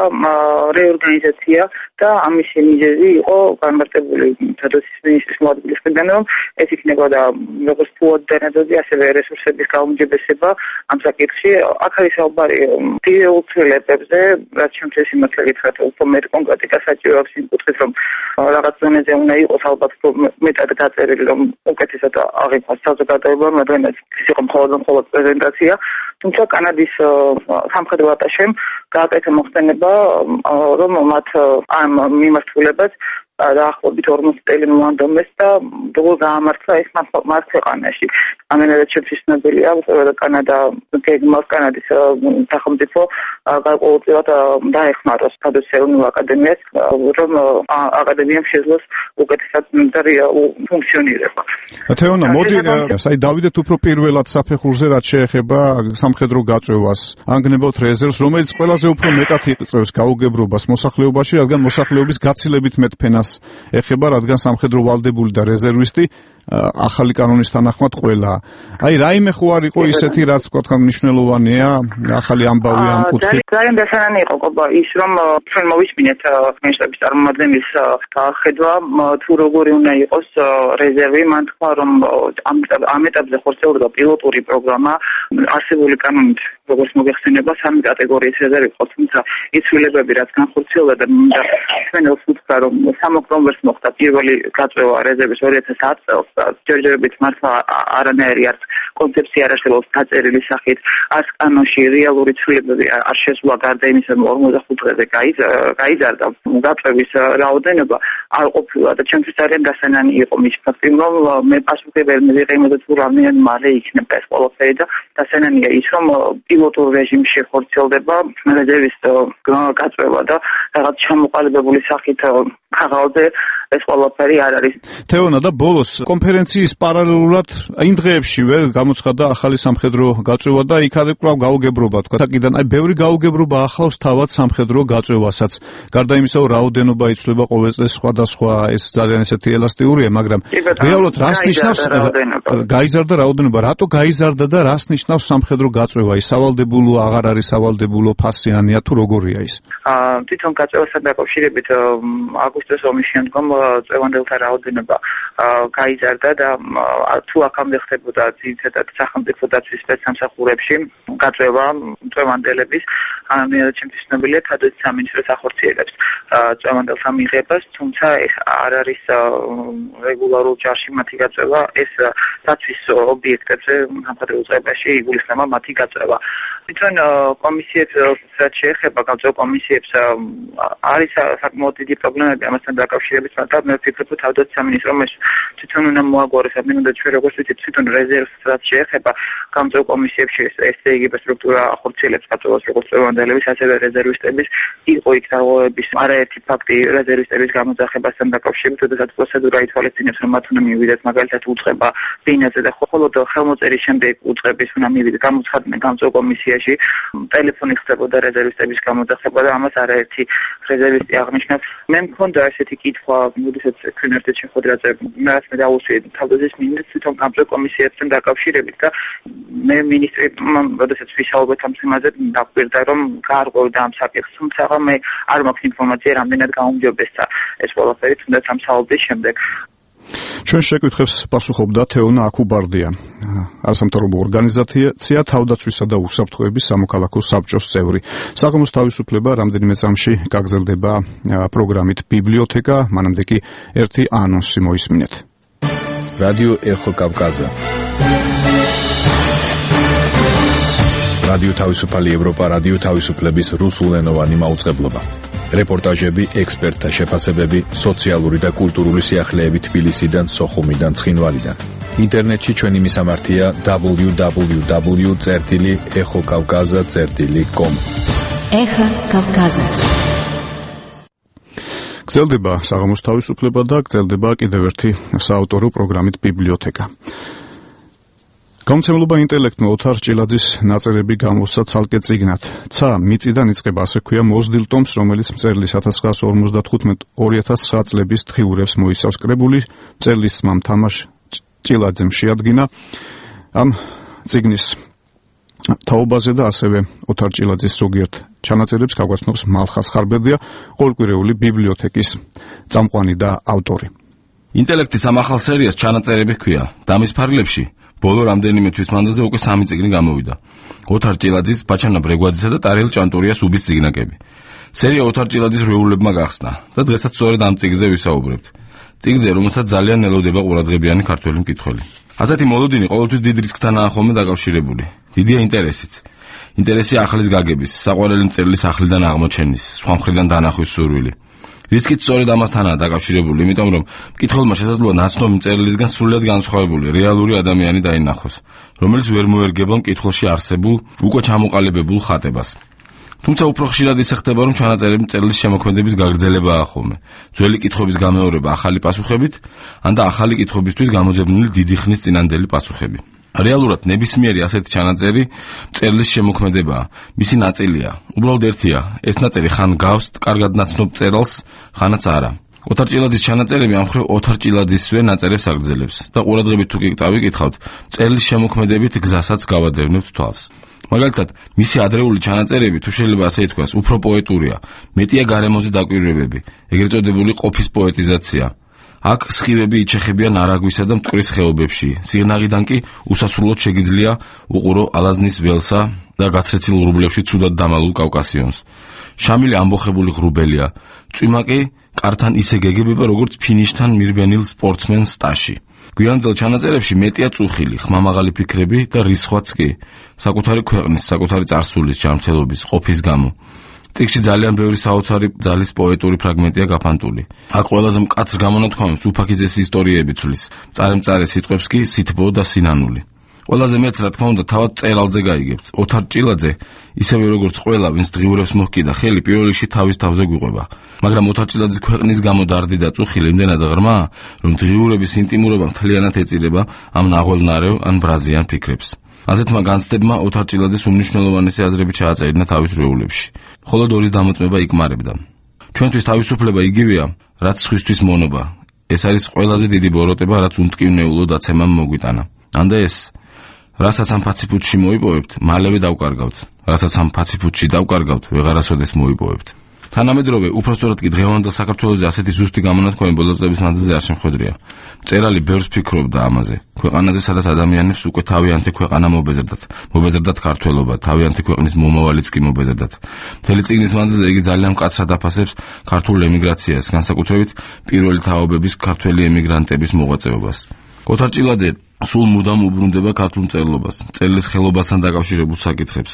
რეორგანიზაცია და ამის მიზეზი იყო განმარტებული თავდაცვის მინისტრის მოადგილის მხრიდან, რომ ეს იქნებოდა როგორც ფუად დანადოდი, ასევე რესურსების გაუმჯობესება ამ საკითხში. აქ არის საუბარი დიდეულ ცვლილებებზე, რაც შემთხვევაში სიმართლე გითხრათ, უფრო მეტ კონკრეტიკას საჭიროებს იმ კუთხით, რომ რაღაც ზონაზე უნდა იყოს ალბათ მეტად დაწერილი, რომ უკეთესად აღიქვას საზოგადოება, მაგრამ ეს იყო მხოლოდ პრეზენტაცია. თუმცა კანადის სამხედრო ატაშემ გააკეთა მოხსენება, რომ მათ ამ მიმართულებას დაახლოებით 40 წელი მოანდომეს და როგორ გაამართლა ეს მათ ქვეყანაში. ამენადაც შეფისნობელია, რომ კანადა გეგმავს კანადის სახელმწიფო გარკვეულწილად დაეხმაროს თავდაცვის ეროვნულ აკადემიას, რომ აკადემიამ შეძლოს უკეთესად ფუნქციონირება. თეონა, მოდი დავიდეთ უფრო პირველად საფეხურზე, რაც შეეხება სამხედრო გაწვევას. ანგნებავთ რეზერვს, რომელიც ყველაზე უფრო მეტად იწევს გაუგებრობას მოსახლეობაში, რადგან მოსახლეობის გაცილებით მეტ ფენას ეხება, რადგან სამხედრო ვალდებული და რეზერვისტი ახალი კანონის თანახმად ყველა. აი რაიმე ხო არ იყო ისეთი რაც თქვა მნიშვნელოვანია ახალი ამბავი ამ კუთხით. ძალიან დასანანი იყო ის რომ ჩვენ მოვისმინეთ მინისტრების წარმომადგენლის ხედვა თუ როგორი უნდა იყოს რეზერვი. მან თქვა რომ ამ ეტაპზე ხორციელდება პილოტური პროგრამა არსებული კანონით როგორც მოგეხსენება 3 კატეგორიის რეზერვი იყო, თუმცა ის ცვლილებები რაც განხორციელდა და ჩვენელს უთხრა რომ 3 ოქტომბერს მოხდა პირველი გაწევა რეზერვის 2010 წელს და ჯერჯერობით მართლა არანაირი არც კონცეფცია არ არსებობს დაწერილი სახით, არც კანონში რეალური ცვლილებები არ შესულა გარდა იმისა რომ 45 დღეზე გაიზარდა გაწევის რაოდენობა არ ყოფილა და ჩემთვის ძალიან დასანანი იყო მის ფაქტი რომ მე პასუხობები ვიღე იმაზე თუ რამდენად მალე იქნება ეს ყველაფერი და დასანანია ის რომ პილოტურ რეჟიმში ხორციელდება რეზერვის გაწევა და რაღაც ჩამოყალიბებული სახით ხაღალზე ეს ყველაფერი არ არის. თეონა და ბოლოს კონფერენციის პარალელურად იმ დღეებშივე გამოცხადდა ახალი სამხედრო გაწევა და იქ არის კვლავ გაუგებრობა თქვა. აქედან აი ბევრი გაუგებრობა ახლავს თავად სამხედრო გაწევასაც. გარდა იმისა, რომ რაოდენობა იცვლება ყოველ წელს სხვადასხვა, ეს ძალიან ესეთი ელასტიურია, მაგრამ რეალურად რას ნიშნავს გაიზარდა რაოდენობა, რატო გაიზარდა და რას ნიშნავს სამხედრო გაწევა? ის სავალდებულო, აღარ არის სავალდებულო, ფასიანია თუ როგორია ის? თვითონ გაწევასთან დაკავშირებით აგვისტოს ომის შემდგომ წევანდელთა რაოდენობა გაიზარდა და თუ აქამდე ხდებოდა ძირითადად სახელმწიფო დაცვის სპეცსამსახურებში გაწევა წევანდელების ჩემთვის ცნობილია თადოც სამინისტროს ახორციელებს წევანდელთა მიღებას, თუმცა ეს არ არის რეგულარულ ჯარში მათი გაწევა, ეს დაცვის ობიექტებზე სამხედრო უწყებაში იგულისხმება მათი გაწევა. თვითონ კომისიებს რაც შეეხება გაწევა კომისიებს არის საკმაოდ დიდი პრობლემები ამასთან დაკავშირებით, მაგრამ მე ვფიქრობ, რომ თავდაცვის სამინისტრომ ეს თვითონ უნდა მოაგვაროს, ამიტომ ჩვენ როგორც ვიცით, თვითონ რეზერვს რაც შეეხება გამწევ კომისიებში STG სტრუქტურა ახორციელებს გაწევას როგორც წევანდელების, ასევე რეზერვისტების, იყო იქ დარღვევების არაერთი ფაქტი რეზერვისტების გამოძახებასთან დაკავშირებით, როდესაც პროცედურა ითვალისწინებს, რომ მათ უნდა მივიდეთ მაგალითად უწყება ბინაზე და მხოლოდ ხელმოწერის შემდეგ უწყების უნდა მივიდეთ გამოცხადნენ გამწევ კომისიაში, ტელეფონი ხდებოდა რეზერვისტების გამოძახება და ამას არაერთი რეზერვისტი აღნიშნავს. მე მქონდა ესეთი კითხვა, როდესაც ჩვენ ერთად შეხვედრაზე რაც მე დაუსვი თავდაცვის მინისტრს თვითონ გამწევ კომისიებთან დაკავშირებით და მე მინისტრმა როდესაც ვისაუბრეთ ამ თემაზე დაგვირდა რომ გაარღვევდა ამ საკითხს, თუმცა მე არ მაქვს ინფორმაცია რამდენად გაუმჯობესდა ეს ყველაფერი თუნდაც ამ საუბრის შემდეგ. ჩვენ შეკითხვებს პასუხობდა თეონა აკუბარდია, არასამთავრობო ორგანიზაცია თავდაცვისა და უსაფრთხოების სამოქალაქო საბჭოს წევრი. საღამოს თავისუფლება რამდენიმე წამში გაგრძელდება პროგრამით ბიბლიოთეკა, მანამდე კი ერთი ანონსი მოისმინეთ. რადიო ეხო კავკაზა. რადიო თავისუფალი ევროპა, რადიო თავისუფლების რუსულენოვანი მაუწყებლობა. რეპორტაჟები, ექსპერტთა შეფასებები, სოციალური და კულტურული სიახლეები თბილისიდან, სოხუმიდან, ცხინვალიდან. ინტერნეტში ჩვენი მისამართია www.exokavkaza.com. ეხა კავკაზა. გრძელდება საღამოს თავისუფლება და გრძელდება კიდევ ერთი საავტორო პროგრამით ბიბლიოთეკა. გამომცემლობა ინტელექტმა ოთარ ჭილაძის ნაწერები გამოსცა ცალკე წიგნად. ცა მიწიდან იწყება, ასე ქვია მოზრდილ ტომს, რომელიც მწერლის 1955-2009 წლების თხიურებს მოიცავს. კრებული მწერლის ძმამ თამაშ ჭილაძემ შეადგინა ამ წიგნის თაობაზე და ასევე ოთარ ჭილაძის ზოგიერთ ჩანაწერებს გაგვაცნობს მალხას ხარბერდია, ყოველკვირეული ბიბლიოთეკის წამყვანი და ავტორი. ინტელექტის ამ ახალ სერიას ჩანაწერები ჰქვია და მის ფარგლებში ბოლო რამდენიმე თვის მანძილზე უკვე 3 წიგნი გამოვიდა. ოთარ ჭილაძის, ბაჩანა ბრეგვაძისა და ტარიელ ჭანტურიას უბის წიგნაკები. სერია ოთარ ჭილაძის რეულებმა გახსნა და დღესაც სწორედ ამ წიგნზე ვისაუბრებთ. წიგნზე, რომელსაც ძალიან ელოდება ყურადღებიანი ქართველი მკითხველი. ასეთი მოლოდინი ყოველთვის დიდ რისკთანაა ხოლმე დაკავშირებული. დიდია ინტერესიც. ინტერესი ახლის გაგების, საყვარელი მწერლის ახლიდან აღმოჩენის, სხვა მხრიდან დანახვის სურვილი. რისკიც სწორედ ამასთანაა დაკავშირებული, იმიტომ რომ მკითხველმა შესაძლოა ნაცნობი მწერლისგან სრულიად განსხვავებული რეალური ადამიანი დაინახოს, რომელიც ვერ მოერგება მკითხველში არსებულ, უკვე ჩამოყალიბებულ ხატებას. თუმცა უფრო ხშირად ისე ხდება, რომ ჩანაწერები მწერლის შემოქმედების გაგრძელებაა ხოლმე. ძველი კითხვების გამეორება ახალი პასუხებით, ან და ახალი კითხვებისთვის გამოძებნილი დიდი ხნის წინანდელი პასუხები. რეალურად ნებისმიერი ასეთი ჩანაწერი მწერლის შემოქმედებაა, მისი ნაწილია. უბრალოდ ერთია, ეს ნაწერი ხან გავს კარგად ნაცნობ მწერალს, ხანაც არა. ოთარ ჭილაძის ჩანაწერები ამ მხრივ ოთარ ჭილაძისვე ნაწერებს აგრძელებს და ყურადღებით თუ გიტავიკითხავთ, წერილის შემოქმედებით გზასაც გავადევნებთ თვალს. მაგალითად, მისი ადრეული ჩანაწერები, თუ შეიძლება ასე ითქვას, უფრო პოეტურია, მეტია გარემოზე დაკვირვებები, ეგრეთ წოდებული ყოფის პოეტიზაცია. აქ სხივები იჩეხებიან არაგვისა და მტკვრის ხეობებში, სიღნაღიდან კი უსასრულოდ შეგიძლია უყურო ალაზნის ველსა და გაცრეცილ ღრუბლებში ცუდად დამალულ კავკასიონს. შამილი ამბოხებული ღრუბელია, წვიმაკი კართან ისე გეგებება, როგორც ფინიშთან მირბენილ სპორტსმენს სტაში. გვიანდელ ჩანაწერებში მეტია წუხილი, ხმამაღალი ფიქრები და რისხვაც კი, საკუთარი ქვეყნის, საკუთარი წარსულის, ჯანმრთელობის, ყოფის გამო. წიგნში ძალიან ბევრი საოცარი ძალის პოეტური ფრაგმენტია გაფანტული. აქ ყველაზე მკაცრ გამონათქვამებს უფაქიზეს ისტორიები ცვლის, მწარე სიტყვებს კი სითბო და სინანული. ყველაზე მეც რა თქმა უნდა თავად წერალზე გაიგებთ. ოთარ ჭილაძე, ისევე როგორც ყველა, ვინც დღიურებს მოჰკიდა ხელი, პირველ რიგში თავის თავზე გვიყვება. მაგრამ ოთარ ჭილაძის ქვეყნის გამო დარდი და წუხილი იმდენად ღრმა, რომ დღიურების ინტიმურობა მთლიანად ეწირება ამ ნაღველნარეო ან ბრაზიან ფიქრებს. ასეთმა განცდებმა ოთარ ჭილაძის უმნიშვნელოვანესი აზრები ჩააწერინა თავის რეულებში. მხოლოდ ორის დამოწმება იკმარებდა. ჩვენთვის თავისუფლება იგივეა, რაც სხვისთვის მონობა. ეს არის ყველაზე დიდი ბოროტება, რაც უმტკივნეულო დაცემამ მოგვიტანა. ანდა ეს რასაც ამ ფაციფუტში მოიპოვებთ, მალევე დავკარგავთ. რასაც ამ ფაციფუტში დავკარგავთ, ვეღარასოდეს მოიპოვებთ. თანამედროვე, უпростоრად კი დღევანდელ საქართველოზე ასეთი ზუსტი გამონათქვამი ბოლო წლების მანძილზე არ შემხვედრია. მწერალი ბევრს ფიქრობდა ამაზე. ქვეყანაზე, სადაც ადამიანებს უკვე თავიანთი ქვეყანა მობეზრდათ ქართველობა, თავიანთი ქვეყნის მომავალიც კი მობეზრდათ. მთელი წიგნის მანძილზე იგი ძალიან მკაცრად აფასებს ქართულ ემიგრაციას, განსაკუთრებით პირველი თაობების ქართველი ემიგრანტების მოღვაწეობას. ოთარ ჭილაძე სულ მუდამ უბრუნდება ქართულ მწერლობას, მწერლის ხელობასთან დაკავშირებულ საკითხებს,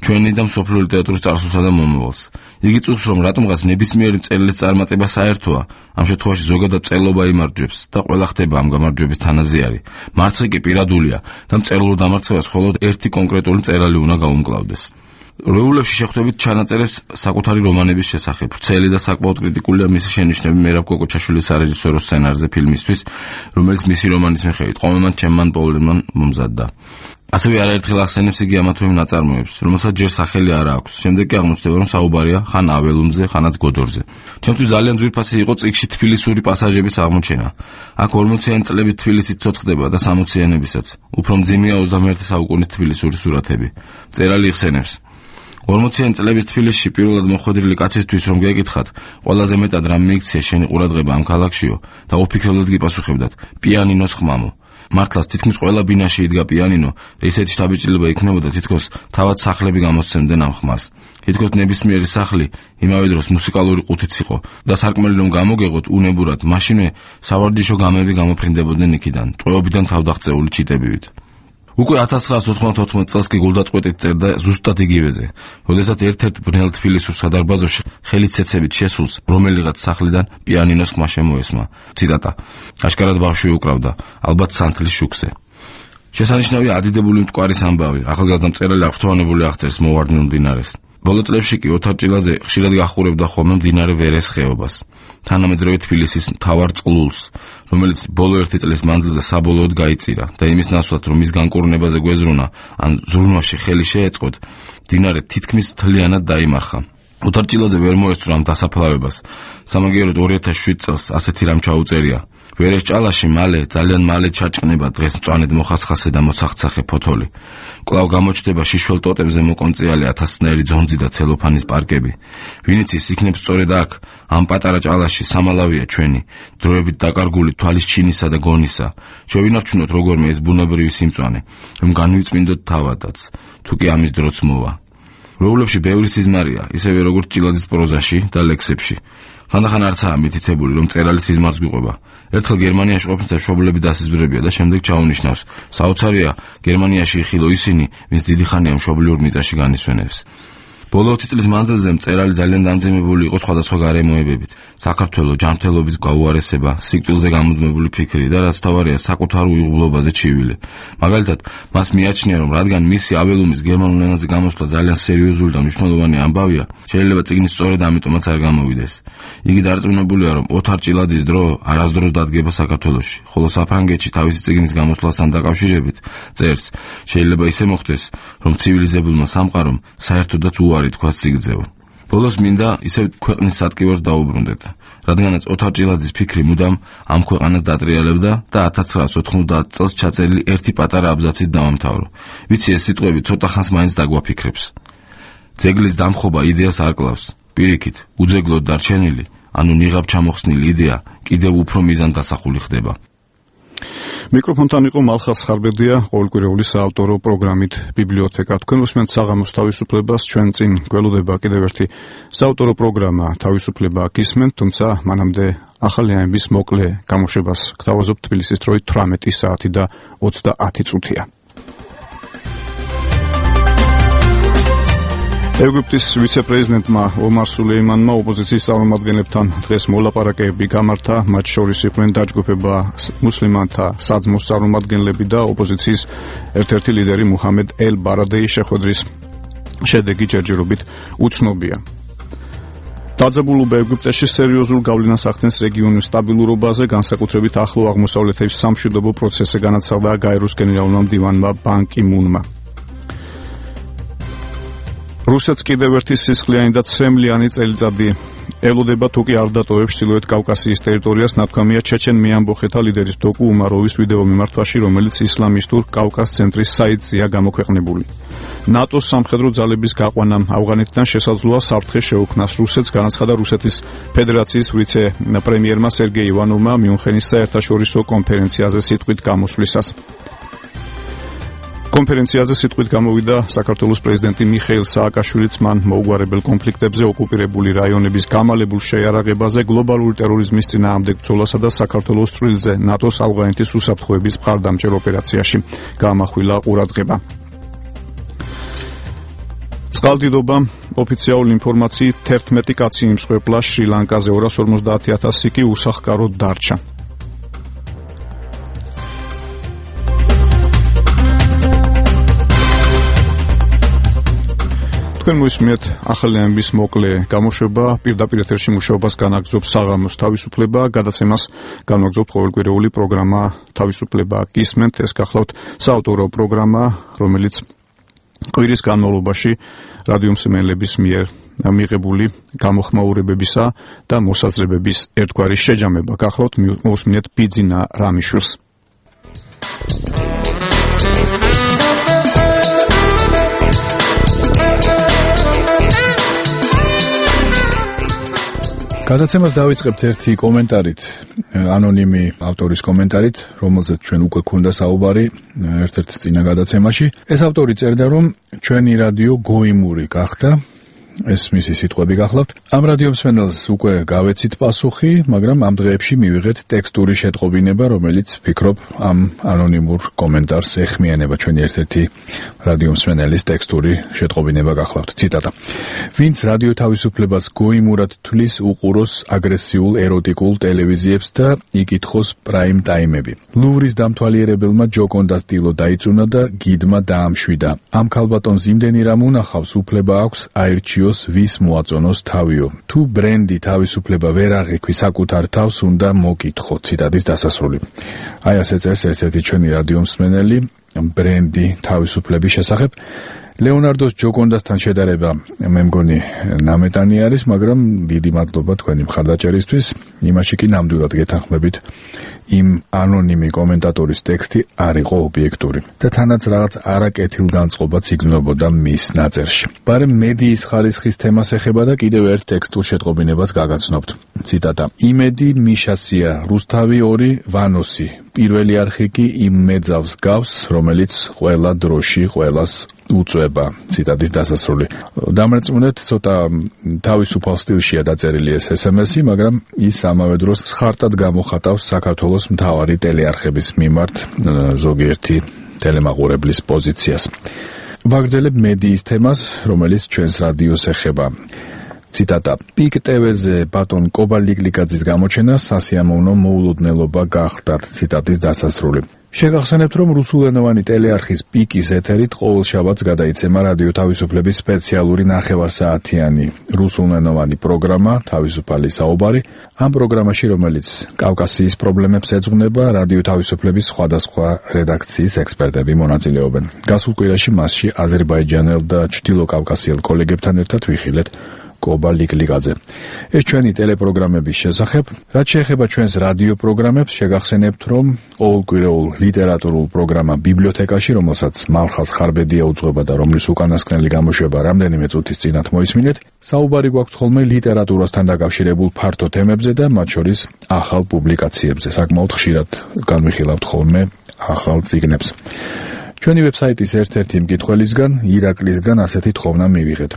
ჩვენი და მსოფლიო ლიტერატურის წარსულსა და მომავალს. იგი წუხს, რომ რატომღაც ნებისმიერი მწერლის წარმატება საერთოა, ამ შემთხვევაში ზოგადად მწერლობა იმარჯვებს და ყველა ხდება ამ გამარჯვების თანაზიარი. მარცხი კი პირადულია და მწერლურ დამარცხებას მხოლოდ ერთი კონკრეტული მწერალი უნდა გაუმკლავდეს. რეულებში შეხვდებით ჩანაწერებს საკუთარი რომანების შესახებ. ვრცელი და საკმაოდ კრიტიკულია მისი შენიშვნები მერაბ კოკოჩაშვილის სარეჟისორო სცენარზე ფილმისთვის, რომელიც მისი რომანის მიხედვით ყომემან ჩემმან პოვლენმან მომზადდა. ასევე არაერთხელ ახსენებს იგი ამა თუ იმ ნაწარმოებს, რომელსაც ჯერ სახელი არ აქვს. შემდეგ კი აღმოჩნდება, რომ საუბარია ხან აველუმზე, ხანაც გოდორზე. ჩემთვის ძალიან ძვირფასი იყო წიგნში თბილისური პასაჟების აღმოჩენა. აქ 40-იანი წლების თბილისი ცოცხლდება და 60-იანებისაც. უფრო მძიმეა 21 საუკუნის თბილისური სურათები. მწერალი იხსენებს: 40-იანი წლების თბილისში პირველად მოხვედრილი კაცისთვის რომ გეკითხათ, ყველაზე მეტად რა მიიქცია შენი ყურადღება ამ ქალაქშიო და ოფიქრებად გიპასუხებდათ: პიანინოს ხმამო. მართლაც თითქმის ყველა ბინაში იდგა პიანინო და ისეთი შთაბეჭდილება იქნებოდა, თითქოს თავად სახლები გამოსცემდნენ ამ ხმას. თითქოს ნებისმიერი სახლი იმავე დროს მუსიკალური ყუთიც იყო და სარკმელი რომ გამოგეღოთ უნებურად, მაშინვე სავარჯიშო გამები გამოფრინდებოდნენ იქიდან, ტყვეობიდან თავდაღწეული ჩიტებივით. უკვე 1994 წელს კი გულდაწყვეტით წერდა ზუსტად იგივეზე, როდესაც ერთ-ერთ ბნელ თბილისურ სადარბაზოში ხელის ცეცებით შესულს რომელიღაც სახლიდან პიანინოს ხმა შემოესმა. ციტატა: აშკარად ბავშვი უკრავდა, ალბათ სანთლის შუქზე. შესანიშნავია ადიდებული მტკვარის ამბავი, ახალგაზრდა მწერალი აღფრთოვანებული აღწერს მოვარდნილ მდინარეს. ბოლო წლებში კი ოთარ ჭილაძე ხშირად გახურებდა ხოლმე მდინარე ვერეს ხეობას, თანამედროვე თბილისის მთავარ წყლულს, რომელიც ბოლო 1 წლის მანძილზე საბოლოოდ გაიწირა და იმის ნაცვლად, რომ მის განკურნებაზე გვეზრუნა ან ზრუნვაში ხელი შეეწყოთ, მდინარე თითქმის მთლიანად დაიმარხა. ოთარ ჭილაძე ვერ მოესწრო ამ დასაფლავებას. სამაგიეროდ 2007 წელს ასეთი რამ ჩაუწერია: ვერეს ჭალაში ძალიან მალე ჩაჭყნება დღეს მწვანედ მოხასხასე და მოცახცახე ფოთოლი. კვლავ გამოჩნდება შიშველ ტოტებზე მოკონწიალი 1000-ნაირი ძონძი და ცელოფანის პარკები. ვინც ის იქნებს სწორედ აქ, ამ პატარა ჭალაში სამალავია ჩვენი, დროებით დაკარგული თვალის ჩინისა და გონისა. შევინარჩუნოთ როგორმე ეს ბუნებრივი სიმწვანე, რომ განვიწმინდოთ თავადაც, თუ კი ამის დროც მოვა. რეულებში ბევრი სიზმარია, ისევე როგორც ჭილაძის პროზაში და ლექსებში. ხანდახან არცაა მითითებული, რომ მწერალი სიზმარს გვიყვება. ერთხელ გერმანიაში ყოფნისა მშობლები დასიზმრებია და შემდეგ ჩაუნიშნავს: საოცარია, გერმანიაში იხილო ისინი, ვინც დიდი ხანია მშობლიურ მიწაში განისვენებს. ბოლო 20 წლის მანძილზე მწერალი ძალიან დამძიმებული იყო სხვადასხვა გარემოებებით. საქართველოს ჯანმრთელობის გაუარესება, სიკვდილზე გამუდმებული ფიქრი და რაც თავარია საკუთარ უიღბლობაზე ჩივილი. მაგალითად, მას მიაჩნია, რომ რადგან მისი აველუმის გერმანულ ენაზე გამოსვლა ძალიან სერიოზული და მნიშვნელოვანი ამბავია, შეიძლება წიგნის სწორედ ამიტომაც არ გამოვიდეს. იგი დარწმუნებულია, რომ ოთარ ჭილაძის დრო არასდროს დადგება საქართველოში, ხოლო საფრანგეთში თავისი წიგნის გამოსვლასთან დაკავშირებით წერს: შეიძლება ისე მოხდეს, რომ ცივილიზებულმა სამყარომ საერთოდაც უარი თქვას წიგნზეო. ბოლოს მინდა ისევ ქვეყნის სატკივარს დაუბრუნდეთ, რადგანაც ოთარ ჭილაძის ფიქრი მუდამ ამ ქვეყანას დატრიალებდა და 1990 წელს ჩაწერილი ერთი პატარა აბზაცით დავამთავრო. ვიცი ეს სიტყვები ცოტა ხანს მაინც დაგვაფიქრებს. ძეგლის დამხობა იდეას არ კლავს. პირიქით, უძეგლოდ დარჩენილი, ანუ ნიღაბ ჩამოხსნილი იდეა კიდევ უფრო მიზანდასახული ხდება. მიკროფონთან იყო მალხას ხარბედია, ყოველკვირეული საავტორო პროგრამით ბიბლიოთეკა. თქვენ უსმენთ საღამოს თავისუფლებას, ჩვენ წინ გველოდება კიდევ ერთი საავტორო პროგრამა თავისუფლება გისმენთ, თუმცა მანამდე ახალი ამბის მოკლე გამოშვებას გთავაზობთ თბილისის დროით 18 საათი და 30 წუთია. ეგვიპტის ვიცე-პრეზიდენტმა ომარ სულეიმანმა ოპოზიციის წარმომადგენლებთან დღეს მოლაპარაკებები გამართა, მათ შორის იყვნენ დაჯგუფება მუსლიმანთა საძმოს წარმომადგენლები და ოპოზიციის ერთ-ერთი ლიდერი მუჰამედ ელ ბარადეის შეხვედრის შედეგი ჯერჯერობით უცნობია. დაძაბულობა ეგვიპტეში სერიოზულ გავლენას ახდენს რეგიონის სტაბილურობაზე, განსაკუთრებით ახლო აღმოსავლეთის სამშვიდობო პროცესზე განაცხადა გაეროს გენერალურმა მდივანმა ბან კი მუნმა. რუსეთს კიდევ ერთი სისხლიანი და ცრემლიანი წელიწადი ელოდება, თუ კი არ დატოვებს ჩრდილოეთ კავკასიის ტერიტორიას, ნათქვამია ჩეჩენ მეამბოხეთა ლიდერის დოკუ უმაროვის ვიდეო მიმართვაში, რომელიც ისლამისტურ კავკას ცენტრის საიტზეა გამოქვეყნებული. ნატოს სამხედრო ძალების გაყვანამ ავღანეთიდან შესაძლოა საფრთხე შეუქმნას რუსეთს, განაცხადა რუსეთის ფედერაციის ვიცე-პრემიერმა სერგეი ივანოვმა მიუნხენის საერთაშორისო კონფერენციაზე სიტყვით გამოსვლისას. კონფერენციაზე სიტყვით გამოვიდა საქართველოს პრეზიდენტი მიხეილ სააკაშვილიც, მან მოუგვარებელ კონფლიქტებზე, ოკუპირებული რაიონების გამალებულ შეიარაღებაზე, გლობალური ტერორიზმის წინააღმდეგ ბრძოლასა და საქართველოს წვლილზე ნატოს ავღანეთის უსაფრთხოების მხარდამჭერ ოპერაციაში გაამახვილა ყურადღება. წყალდიდობა ოფიციალური ინფორმაციით 11 კაცი იმსხვერპლა შრი-ლანკაზე, 250,000 კი უსახკაროდ დარჩა. თქვენ მოისმინეთ ახალი ამბის მოკლე გამოშვება, პირდაპირ ეთერში მუშაობას განაგრძობს საღამოს თავისუფლება, გადაცემას განაგრძობთ ყოველკვირეული პროგრამა თავისუფლება გისმენთ. ეს გახლავთ საავტორო პროგრამა, რომელიც კვირის განმავლობაში რადიომსმენელების მიერ მიღებული გამოხმაურებებისა და მოსაზრებების ერთგვარი შეჯამება. გახლავთ მოусმინეთ ბიძინა რამიშვილს. გადაცემას დავიწყებთ ერთი კომენტარით, ანონიმი ავტორის კომენტარით, რომელზეც ჩვენ უკვე გვქონდა საუბარი ერთ-ერთ წინა გადაცემაში. ეს ავტორი წერდა, რომ ჩვენი რადიო გოიმური გახდა, ეს მისი სიტყვები გახლავთ. ამ რადიომსმენელს უკვე გავეცით პასუხი, მაგრამ ამ დღეებში მივიღეთ ტექსტური შეტყობინება, რომელიც ვფიქრობ ამ ანონიმურ კომენტარს ეხმიანება. ჩვენი ერთ-ერთი რადიომსმენელის ტექსტური შეტყობინება გახლავთ. ციტატა: ვინც რადიო თავისუფლებას გოიმურად თვლის, უყუროს აგრესიულ ეროტიკულ ტელევიზიებს და იკითხოს პრაიმ ტაიმები. ლუვრის დამთვალიერებელმა ჯოკონდას ტილო დაიწუნა და გიდმა დაამშვიდა. ამ ქალბატონს იმდენი რამ უნახავს, უფლება აქვს აირჩიოს ვის მოაწონოს თავიო. თუ ბრენდი თავისუფლება ვერ აღიქვი საკუთარ თავს, უნდა მოკითხო. ციტატის დასასრული. აი ასე წერს ერთ-ერთი ჩვენი რადიომსმენელი ბრენდი თავისუფლების შესახებ. ლეონარდოს ჯოკონდასთან შედარება მე მგონი ნამეტანი არის, მაგრამ დიდი მადლობა თქვენი მხარდაჭერისთვის. იმაში კი ნამდვილად გეთანხმებით, იმ ანონიმი კომენტატორის ტექსტი არ იყო ობიექტური და თანაც რაღაც არაკეთილგანწყობაც იგრძნობოდა მის ნაწერში. ბარემ მედიის ხარისხის თემას ეხება და კიდევ ერთ ტექსტურ შეტყობინებას გაგაცნობთ. ციტატა: იმედი მიშასია, რუსთავი 2 ვანოსი. პირველი არხი კი იმ მეძავს გავს, რომელიც ყველა დროში ყველას უწובה. ციტატის დასასრული. დამრეწმუნეთ, ცოტა თავისუფალ სტილშია დაწერილი ეს SMS-ი, მაგრამ ის ამავე დროს ხარტად გამოხატავს საქართველოს მთავარი ტელეარხების მიმართ ზოგიერთი ტელემაყურებლის პოზიციას. ვაგრძელებ მედიის თემას, რომელიც ჩვენს რადიოს ეხება. ციტატა: პიკ ტევ-ზე ბატონ კობა ლიკლიკაძის გამოჩენა სასიამოვნო მოულოდნელობა გახდათ. ციტატის დასასრული. შეგახსენებთ, რომ რუსულენოვანი ტელეარხის პიკის ეთერით ყოველ შაბათს გადაიცემა რადიო თავისუფლების სპეციალური ნახევარსაათიანი რუსულენოვანი პროგრამა თავისუფალი საუბარი. ამ პროგრამაში, რომელიც კავკასიის პრობლემებს ეძღვნება, რადიო თავისუფლების სხვადასხვა რედაქციის ექსპერტები მონაწილეობენ. გასულ კვირაში მასში აზერბაიჯანელ და ჩრდილო კავკასიელ კოლეგებთან ერთად ვიხილეთ კობა ლიკლიკაძე. ეს ჩვენი ტელეპროგრამების შესახებ. რაც შეეხება ჩვენს რადიო პროგრამებს, შეგახსენებთ, რომ ყოველკვირეულ ლიტერატურულ პროგრამა ბიბლიოთეკაში, რომელსაც მალხაზ ხარბედია უძღვება და რომლის უკანასკნელი გამოშვება რამდენიმე წუთის წინათ მოისმინეთ, საუბარი გვაქვს ხოლმე ლიტერატურასთან დაკავშირებულ ფართო თემებზე და მათ შორის ახალ პუბლიკაციებზე. საკმაოდ ხშირად განვიხილავთ ხოლმე ახალ წიგნებს. ჩვენი ვებსაიტის ერთ-ერთი მკითხველისგან, ირაკლისგან ასეთი თხოვნა მივიღეთ.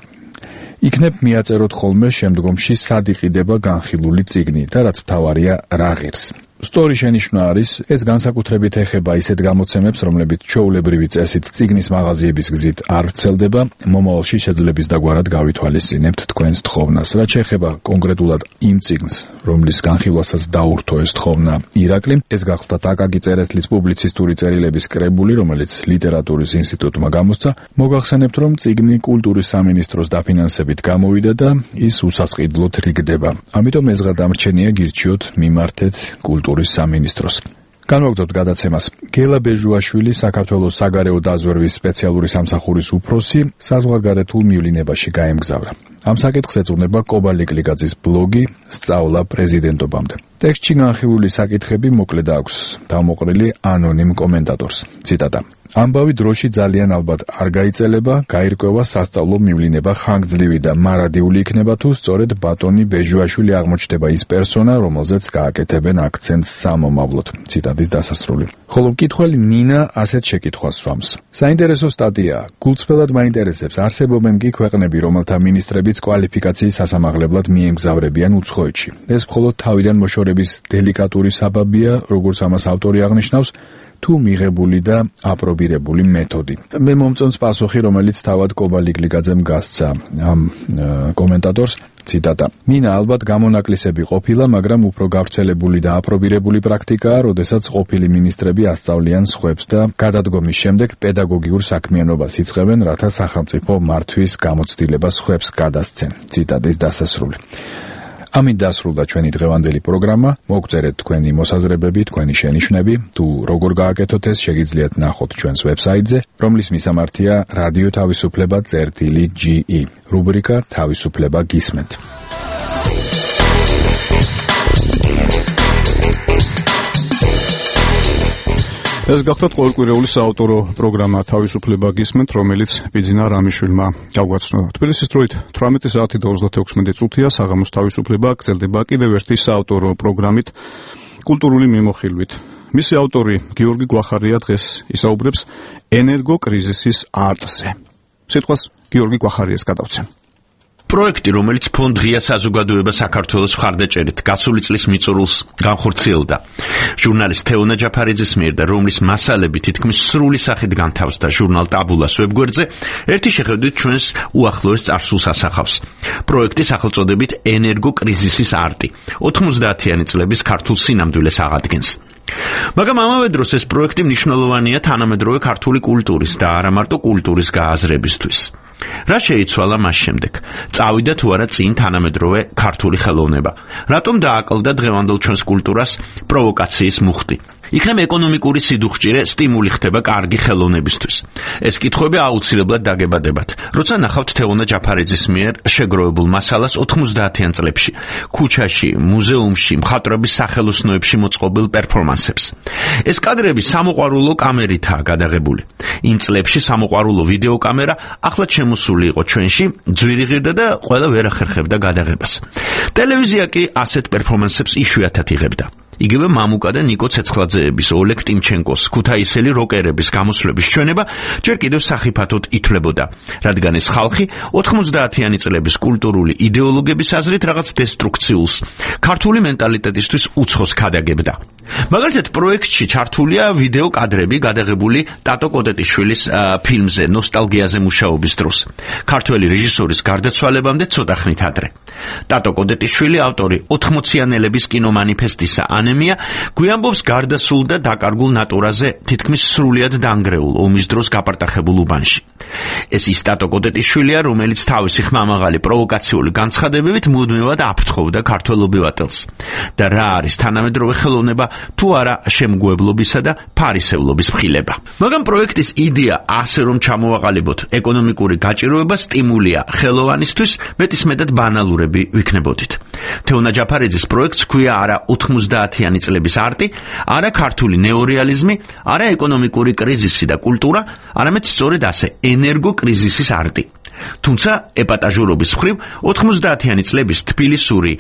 იქნებ მიაწეროთ ხოლმე შემდგომში სად იყიდება განხილული წიგნი და რაც მთავარია რა ღირს. სტორი შენიშვნა არის, ეს განსაკუთრებით ეხება ისეთ გამოცემებს, რომლებიც ჩვეულებრივი წესით წიგნის მაღაზიების გზით არ ვრცელდება, მომავალში შეძლებს დაგვარად გავითვალისწინებთ თქვენს თხოვნას. რაც შეეხება კონკრეტულად იმ წიგნს, რომლის განხილვასაც დაურთო ეს თხოვნა ირაკლიმ, ეს გახლდათ აკაკი წერეთლის პუბლიცისტური წერილების კრებული, რომელიც ლიტერატურის ინსტიტუტმა გამოსცა. მოგახსენებთ, რომ წიგნი კულტურის სამინისტროს დაფინანსებით გამოვიდა და ის უსასყიდლოდ რიგდება. ამიტომ ეს გადამრჩენია გირჩიოთ მიმართეთ კულტურის სამინისტროს. განვაგრძობთ გადაცემას. გელა ბეჟუაშვილი, საქართველოს საგარეო დაზვერვის სპეციალური სამსახურის უფროსი, საზღვარგარეთულ მივლინებაში გაემგზავრა. ამ საკითხს ეძღვნება კობა ლიკლიკაძის ბლოგი სწავლა პრეზიდენტობამდე. ტექსტში განხილული საკითხები მოკლედ აქვს დამოყრილი ანონიმ კომენტატორს. ციტატა: ამბავი დროში ძალიან ალბათ არ გაიწელება, გაირკვევა სასწავლო მივლინება ხანგრძლივი და მარადიული იქნება თუ სწორედ ბატონი ბეჟუაშვილი აღმოჩნდება ის პერსონა, რომელზეც გააკეთებენ აქცენტს სამომავლოდ. ციტატის დასასრული. ხოლო მკითხველი ნინა ასეთ შეკითხვას სვამს. საინტერესო სტატია. გულწრფელად მაინტერესებს, არსებობენ კი ქვეყნები, რომელთა მინისტრებიც კვალიფიკაციის სასამაღლებლად მიემგზავრებიან უცხოეთში. ეს მხოლოდ თავიდან მოშორების დელიკატური საბაბია, როგორც ამას ავტორი აღნიშნავს, თუ მიღებული და აპრობირებული მეთოდი. მე მომწონს პასუხი, რომელიც თავად კობა ლიკლიკაძემ გასცა ამ კომენტატორს. ციტატა: ნინა ალბათ გამონაკლისები ყოფილა, მაგრამ უფრო გავრცელებული და აპრობირებული პრაქტიკაა, როდესაც ყოფილი მინისტრები ასწავლიან სხვებს და გადადგომის შემდეგ პედაგოგიურ საქმიანობას იწყებენ, რათა სახელმწიფო მართვის გამოცდილება სხვებს გადასცენ. ციტატის დასასრული. ამით დასრულდა ჩვენი დღევანდელი პროგრამა. მოგწერეთ თქვენი მოსაზრებები, თქვენი შენიშვნები. თუ როგორ გააკეთოთ ეს, შეგიძლიათ ნახოთ ჩვენს ვებსაიტზე, რომლის მისამართია რადიო თავისუფლება.ge. რუბრიკა თავისუფლება გისმენთ. ეს გახლავთ ყოველკვირეული საავტორო პროგრამა თავისუფლება გისმენთ, რომელიც ბიძინა რამიშვილმა გავგვაცნო. თბილისის დროით 18 საათი და 36 წუთია. საღამოს თავისუფლება გრძელდება კიდევ ერთი საავტორო პროგრამით, კულტურული მიმოხილვით. მისი ავტორი გიორგი გვახარია დღეს ისაუბრებს ენერგოკრიზისის არტზე. სიტყვას გიორგი გვახარიას გადავცემ. პროექტი, რომელიც ფონდ ღია საზოგადოება საქართველოს მხარდაჭერით გასული წლის მიწურულს განხორციელდა ჟურნალისტ თეონა ჯაფარიძის მიერ და რომლის მასალები თითქმის სრული სახით განთავსდა ჟურნალ ტაბულას ვებგვერდზე, ერთი შეხედვით ჩვენს უახლოეს წარსულს ასახავს. პროექტი სახელწოდებით ენერგოკრიზისის არტი 90-იანი წლების ქართულ სინამდვილეს აღადგენს. მაგრამ ამავე დროს ეს პროექტი მნიშვნელოვანია თანამედროვე ქართული კულტურის და არა მარტო კულტურის გააზრებისთვის. რა შეიცვალა მას შემდეგ? წავიდა თუ არა წინ თანამედროვე ქართული ხელოვნება? რატომ დააკლდა დღევანდელ ჩვენს კულტურას პროვოკაციის მუხტი? იქნებ ეკონომიკური სიდუხჭირე სტიმული ხდება კარგი ხელოვნებისთვის. ეს კითხვები აუცილებლად დაგებადებათ, როცა ნახავთ თეონა ჯაფარიძის მიერ შეგროვებულ მასალას 90-იან წლებში, ქუჩაში, მუზეუმში, მხატვრების სახელოსნოებში მოწყობილ პერფორმანსებს. ეს კადრები სამოყვარულო კამერითაა გადაღებული. იმ წლებში სამოყვარულო ვიდეოკამერა ახლად შემოსული იყო ჩვენში, ძვირი ღირდა და ყველა ვერ ახერხებდა გადაღებას. ტელევიზია კი ასეთ პერფორმანსებს იშვიათად იღებდა. იგივე მამუკა და ნიკო ცეცხლაძეების, ოლეგ ტიმჩენკოს, ქუთაისელი როკერების გამოსვლების ჩვენება ჯერ კიდევ სახიფათოდ ითვლებოდა, რადგან ეს ხალხი 90-იანი წლების კულტურული იდეოლოგების აზრით რაღაც დესტრუქციულს, ქართული მენტალიტეტისთვის უცხოს ქადაგებდა. მაგალითად, პროექტში ჩართულია ვიდეო კადრები გადაღებული ტატო კოტეტიშვილის ფილმზე ნოსტალგიაზე მუშაობის დროს, ქართველი რეჟისორის გარდაცვალებამდე ცოტა ხნით ადრე. ტატო კოტეტიშვილი, ავტორი 80-იანელების კინომანიფესტისა ანემია, გვიამბობს გარდასულ და დაკარგულ ნატურაზე თითქმის სრულიად დანგრეულ ომის დროს გაპარტახებულ უბანში. ეს ის ტატო კოტეტიშვილია, რომელიც თავისი ხმამაღალი პროვოკაციული განცხადებებით მუდმივად აფრთხობდა ქართველ ობივატელს. და რა არის თანამედროვე ხელოვნება თუ არა შემგუებლობისა და ფარისევლობის მხილება. მაგრამ პროექტის იდეა ასე რომ ჩამოვაყალიბოთ ეკონომიკური გაჭიროება სტიმულია ხელოვანისთვის, მეტისმეტად ბანალურები ვიქნებოდით. თეონა ჯაფარიძის პროექტს ქვია არა 90-იანი წლების არტი, არა ქართული ნეორეალიზმი, არა ეკონომიკური კრიზისი და კულტურა, არამედ სწორედ ასე ენერგოკრიზისის არტი. თუმცა ეპატაჟურობის მხრივ 90-იანი წლების თბილისური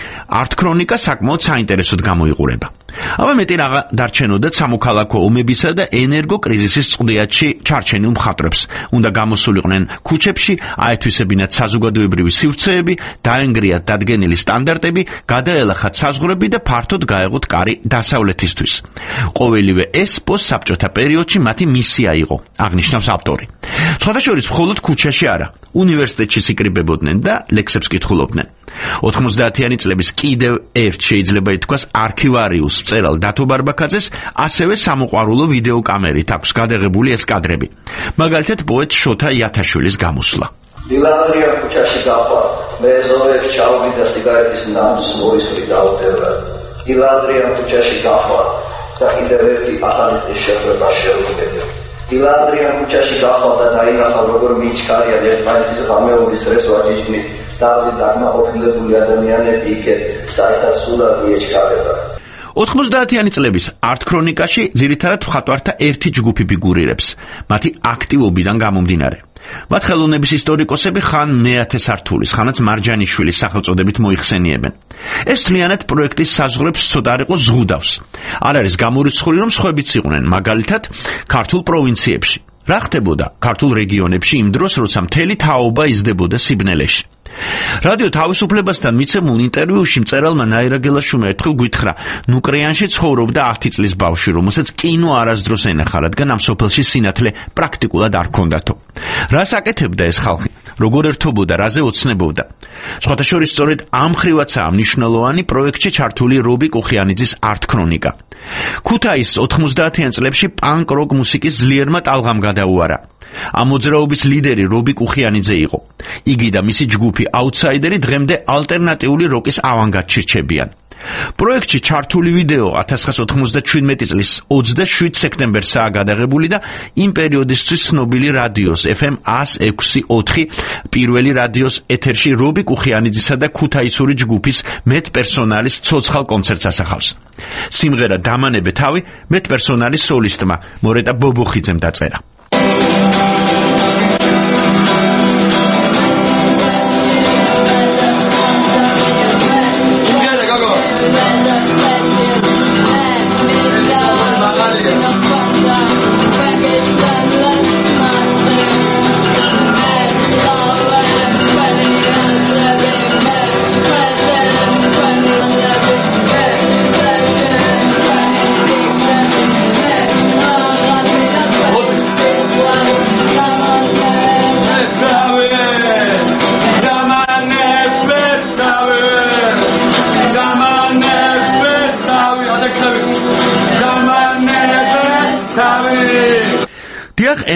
არტ-ქრონიკა საკმაოდ საინტერესოდ გამოიყურება. აბა მეტი რაღა დარჩენოდა სამოქალაქო ომებისა და ენერგოკრიზისის წყვდიათში ჩარჩენილ მხატვრებს. უნდა გამოსულიყვნენ ქუჩებში, აეთვისებინათ საზოგადოებრივი სივრცეები, დაენგრიათ დადგენილი სტანდარტები, გადაელახათ საზღვრები და ფართოდ გაეღოთ კარი დასავლეთისთვის. ყოველივე ეს პოსტსაბჭოთა პერიოდში მათი მისია იყო, აღნიშნავს ავტორი. სხვადასხვა მხოლოდ ქუჩაში არა, უნივერსიტეტში სიკრიბებოდნენ და ლექსებს კითხულობდნენ. 90-იანი წლების კიდევ ერთ შეიძლება ითქვას არქივარიუს მწერალ დათო ბარბაქაძეს ასევე სამოყვარულო ვიდეოკამერით აქვს გადაღებული ეს კადრები. მაგალითად პოეტ შოთა იათაშვილის გამოსვლა. დილანდრია ქუჩაში გაყვარ, მე ზოებს ჩავდი და სიგარეტის ნამს მორისვრი დავდევრა. დილანდრია ქუჩაში გაყვარ და კიდევ ერთი ახალი შეხვედრა შევხვდები. დილანდრია ქუჩაში გაყვარ და დაინახა როგორ მიჩქარიან ერთმანეთის ღამეობის რეს ვაჯიჯნით. დავდი დაგმაყოფილებული ადამიანები იქეთ, საერთოდ სულად მიეჩქარება. 90-იანი წლების არტ-ქრონიკაში ძირითადად მხატვართა ერთი ჯგუფი ფიგურირებს, მათი აქტივობიდან გამომდინარე. მათ ხელოვნების ისტორიკოსები ხან მე-10 სართულის, ხანაც მარჯანიშვილის სახელწოდებით მოიხსენიებენ. ეს თლიანად პროექტის საზღვრებს ცოტა არ იყო ზღუდავს. არ არის გამორიცხული, რომ სხვებიც იყვნენ, მაგალითად, ქართულ პროვინციებში. რა ხდებოდა ქართულ რეგიონებში იმ დროს, როცა მთელი თაობა იზრდებოდა სიბნელეში? რადიო თავისუფლებასთან მიცემულ ინტერვიუში მწერალმა ნაირა გელაშვილმა ერთხელ გითხრა, ნუკრეანში ცხოვრობდა 10 წლის ბავშვი, რომელსაც კინო არასდროს ენახა, რადგან ამ სოფელში სინათლე პრაქტიკულად არ ჰქონდათო. რას აკეთებდა ეს ხალხი? როგორ ერთობოდა, რაზე ოცნებობდა? სხვათა შორის სწორედ ამ ხრივაცაა მნიშვნელოვანი პროექტში ჩართული რობი კუხიანიძის არტ-ქრონიკა. ქუთაისს 90-იან წლებში პანკ-როკ მუსიკის ძლიერმა ტალღამ გადაუარა. ამ მოძრაობის ლიდერი რობი კუხიანიძე იყო. იგი და მისი ჯგუფი აუთსაიდერი დღემდე ალტერნატიული როკის ავანგარდში რჩებიან. პროექტში ჩართული ვიდეო 1997 წლის 27 სექტემბერსაა გადაღებული და იმ პერიოდისთვის ცნობილი რადიოს FM 106.4 პირველი რადიოს ეთერში რობი კუხიანიძისა და ქუთაისური ჯგუფის მეტპერსონალის ცოცხალ კონცერტს ასახავს. სიმღერა დამანებე თავი მეტპერსონალის სოლისტმა მორეტა ბობოხიძემ დაწერა.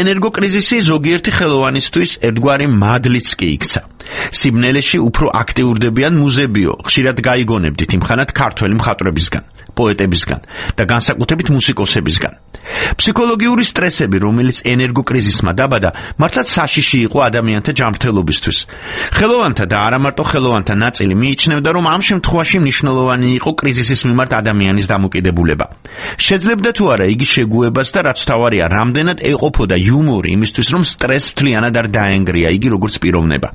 ენერგოკრიზისი ზოგიერთი ხელოვანისთვის ერთგვარი მადლიც კი იქცა. სიბნელეში უფრო აქტიურდებიან მუზებიო, ხშირად გაიგონებდით იმხანად ქართველი მხატვრებისგან, პოეტებისგან და განსაკუთრებით მუსიკოსებისგან. ფსიქოლოგიური სტრესები, რომელიც ენერგოკრიზისმა დაბადა, მართლაც საშიში იყო ადამიანთა ჯანმრთელობისთვის. ხელოვანთა და არა მარტო ხელოვანთა ნაწილი მიიჩნევდა, რომ ამ შემთხვევაში მნიშვნელოვანი იყო კრიზისის მიმართ ადამიანის დამოკიდებულება. შეძლებდა თუ არა იგი შეგუებას და რაც თავარია, რამდენად ეყოფოდა იუმორი იმისთვის, რომ სტრესს მთლიანად არ დაენგრია იგი როგორც პიროვნება.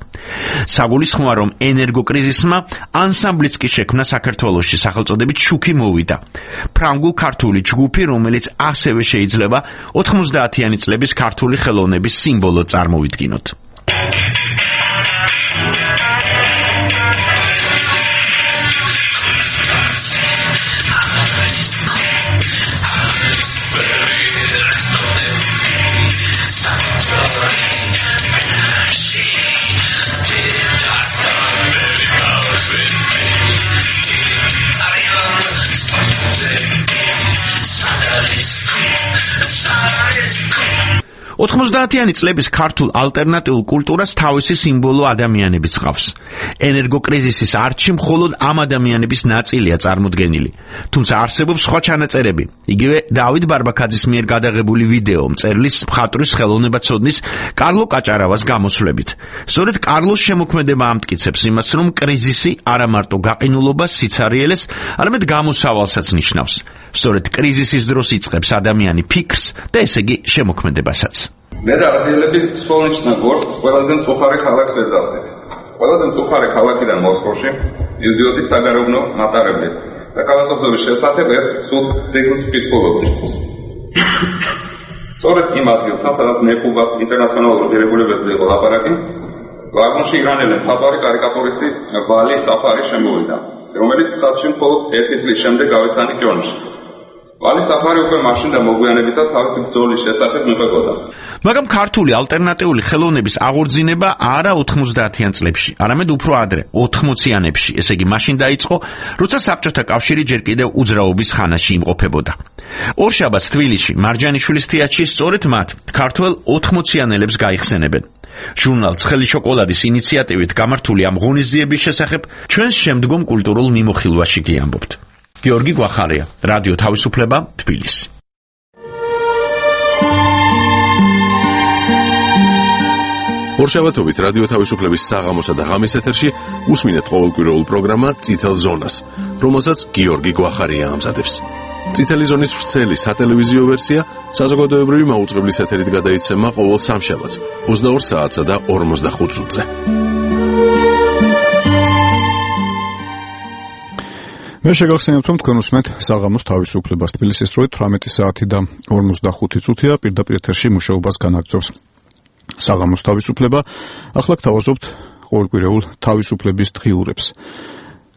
საგულისხმოა, რომ ენერგოკრიზისმა ანსამბლიც კი შექმნა საქართველოში, სახელწოდებით შუქი მოვიდა. ფრანგულ-ქართული ჯგუფი, რომელიც ასევე შეიძლება 90-იანი წლების ქართული ხელოვნების სიმბოლოდ წარმოვიდგინოთ. 90-იანი წლების ქართულ ალტერნატიულ კულტურას თავისი სიმბოლო ადამიანებიც ჰყავს. ენერგოკრიზისის არჩი მხოლოდ ამ ადამიანების ნაწილია წარმოდგენილი. თუმცა არსებობს სხვა ჩანაწერები. იგივე დავით ბარბაქაძის მიერ გადაღებული ვიდეო მწერლის მხატვრის ხელოვნებაცოდნის კარლო კაჭარავას გამოსვლებით. სწორედ კარლოს შემოქმედება ამტკიცებს იმას, რომ კრიზისი არა მარტო გაყინულობას, სიცარიელეს, არამედ გამოსავალსაც ნიშნავს. სწორედ კრიზისის დროს იწყებს ადამიანი ფიქრს და ესე იგი შემოქმედებასაც. მე და აზიელები სვოლნიჩნა გორსკს ყველაზე მწუხარე ქალაქს ვეძავდით. ყველაზე მწუხარე ქალაქიდან მოსკოვში მივდიოდი საგარეუბნო მატარებლით და კალათობების შესახებ ერთ სულ ციკლს ვკითხულობდი. სწორედ იმ ადგილთან, სადაც მეკუბას ინტერნაციონალურ დირექტორებზე იყო ლაპარაკი, ვაგონში ირანელი მხატვარი კარიკატურისტი ვალი საფარი შემოვიდა, რომელიც ხალხში მხოლოდ 1 წლის შემდეგ გავეცანი კიონში. ვალი საფარი უკვე მაშინ და მოგვიანებით და თავისი ბრძოლის შესახებ მიყვებოდა. მაგრამ ქართული ალტერნატიული ხელოვნების აღორძინება არა 90-იან წლებში, არამედ უფრო ადრე, 80-იანებში, ესე იგი მაშინ დაიწყო, როცა საბჭოთა კავშირი ჯერ კიდევ უძრაობის ხანაში იმყოფებოდა. ორშაბათს თბილისში მარჯანიშვილის თეატრში სწორედ მათ ქართველ 80-იანელებს გაიხსენებენ. ჟურნალ ცხელი შოკოლადის ინიციატივით გამართული ამ ღონისძიების შესახებ ჩვენს შემდგომ კულტურულ მიმოხილვაში გიამბობთ. გიორგი გვახარია, რადიო თავისუფლება, თბილისი. ორშაბათობით რადიო თავისუფლების საღამოსა და ღამის ეთერში უსმინეთ ყოველკვირეულ პროგრამა წითელ ზონას, რომელსაც გიორგი გვახარია ამზადებს. წითელი ზონის ვრცელი სატელევიზიო ვერსია საზოგადოებრივი მაუწყებლის ეთერით გადაიცემა ყოველ სამშაბათს 22 საათსა და 45 წუთზე. მე შეგახსენებთ, რომ თქვენ უსმენთ საღამოს თავისუფლებას. თბილისის დროით 18 საათი და 45 წუთია პირდაპირ ეთერში მუშაობას განაგრძობს საღამოს თავისუფლება. ახლა გთავაზობთ ყოველკვირეულ თავისუფლების დღიურებს.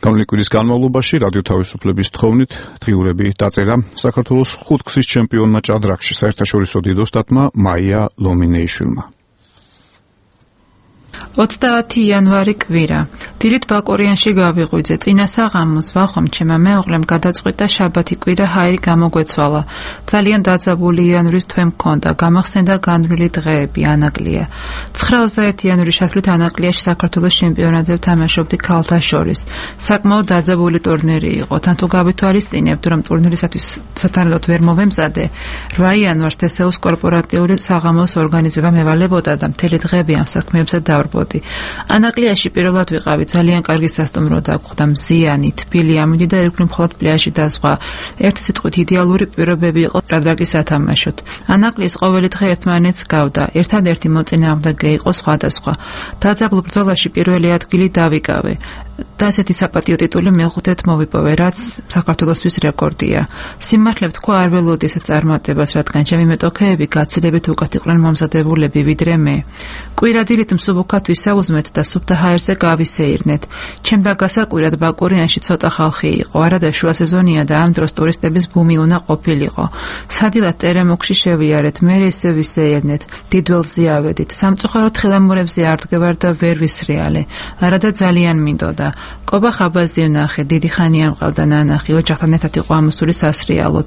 გამონილი კვირის განმავლობაში რადიო თავისუფლების თხოვნით დღიურები დაწერა საქართველოს ხუთგზის ჩემპიონმა ჭადრაკში საერთაშორისო დიდ ოსტატმა მაია ლომინეიშვილმა. 30 იანვარი კვირა. დილით ბაკურიანში გავიღვიძე. წინა საღამოს ვახომ ჩემმა მეუღლემ გადაწყვიტა შაბათი კვირა ჰაერი გამოგვეცვალა. ძალიან დაძაბული იანვრის თვე მქონდა. გამახსენდა განვლილი დღეები, ანაკლია. 9-21 იანვრის შესვლით ანაკლიაში საქართველოს ჩემპიონატზე ვთამაშობდი ქალთა შორის. საკმაოდ დაძაბული ტურნირი იყო. თან თუ გავითვალისწინებთ, რომ ტურნირისათვის სათანადოდ ვერ მოვემზადე, 8 იანვარს თესეუს კორპორატიული საღამოს ორგანიზება მევალებოდა და მთელი დღეები ამ საქმეებზე დავარბოდი. ანაკლიაში პირველად ვიყავი, ძალიან კარგი სასტუმრო დაგვხვდა, მზიანი, თბილი, ამოდი და ერქვნი მხოლოდ პლაჟი და სხვა. ერთი სიტყვით იდეალური პირობები იყო ჭადრაკის სათამაშოდ. ანაკლიის ყოველი დღე ერთმანეთს გავდა. ერთადერთი მოწინააღმდეგე იყო სხვადასხვა. დაძაბულ ბრძოლაში პირველი ადგილი დავიკავე. და ასეთი საპატიო ტიტული მეხუთედ მოვიპოვე, რაც საქართველოსთვის რეკორდია. სიმართლე ვთქვა, არ ველოდი ესეთ წარმატებას, რადგან ჩემი მეტოქეები გაცილებით უკეთ იყვნენ მომზადებულები ვიდრე მე. კვირადილით მსუბუქად ვისაუზმეთ და სუფთა ჰაერზე გავისეირნეთ. ჩემდა გასაკვირად ბაკურიანში ცოტა ხალხი იყო, არადა შუა სეზონია და ამ დროს ტურისტების ბუმი უნდა ყოფილიყო. სადილად ტერემოქში შევიარეთ, მე ისე ვისეირნეთ, დიდველზე ავედით. სამწუხაროდ ხელამურებზე არ დგევარ და ვერ ვისრიალე. არადა ძალიან მინდოდა. კობა ხაბაზი ვნახე, დიდი ხანია მყავდა ნანახი, ოჯახთან ერთად იყო ამოსული სასრიალოდ.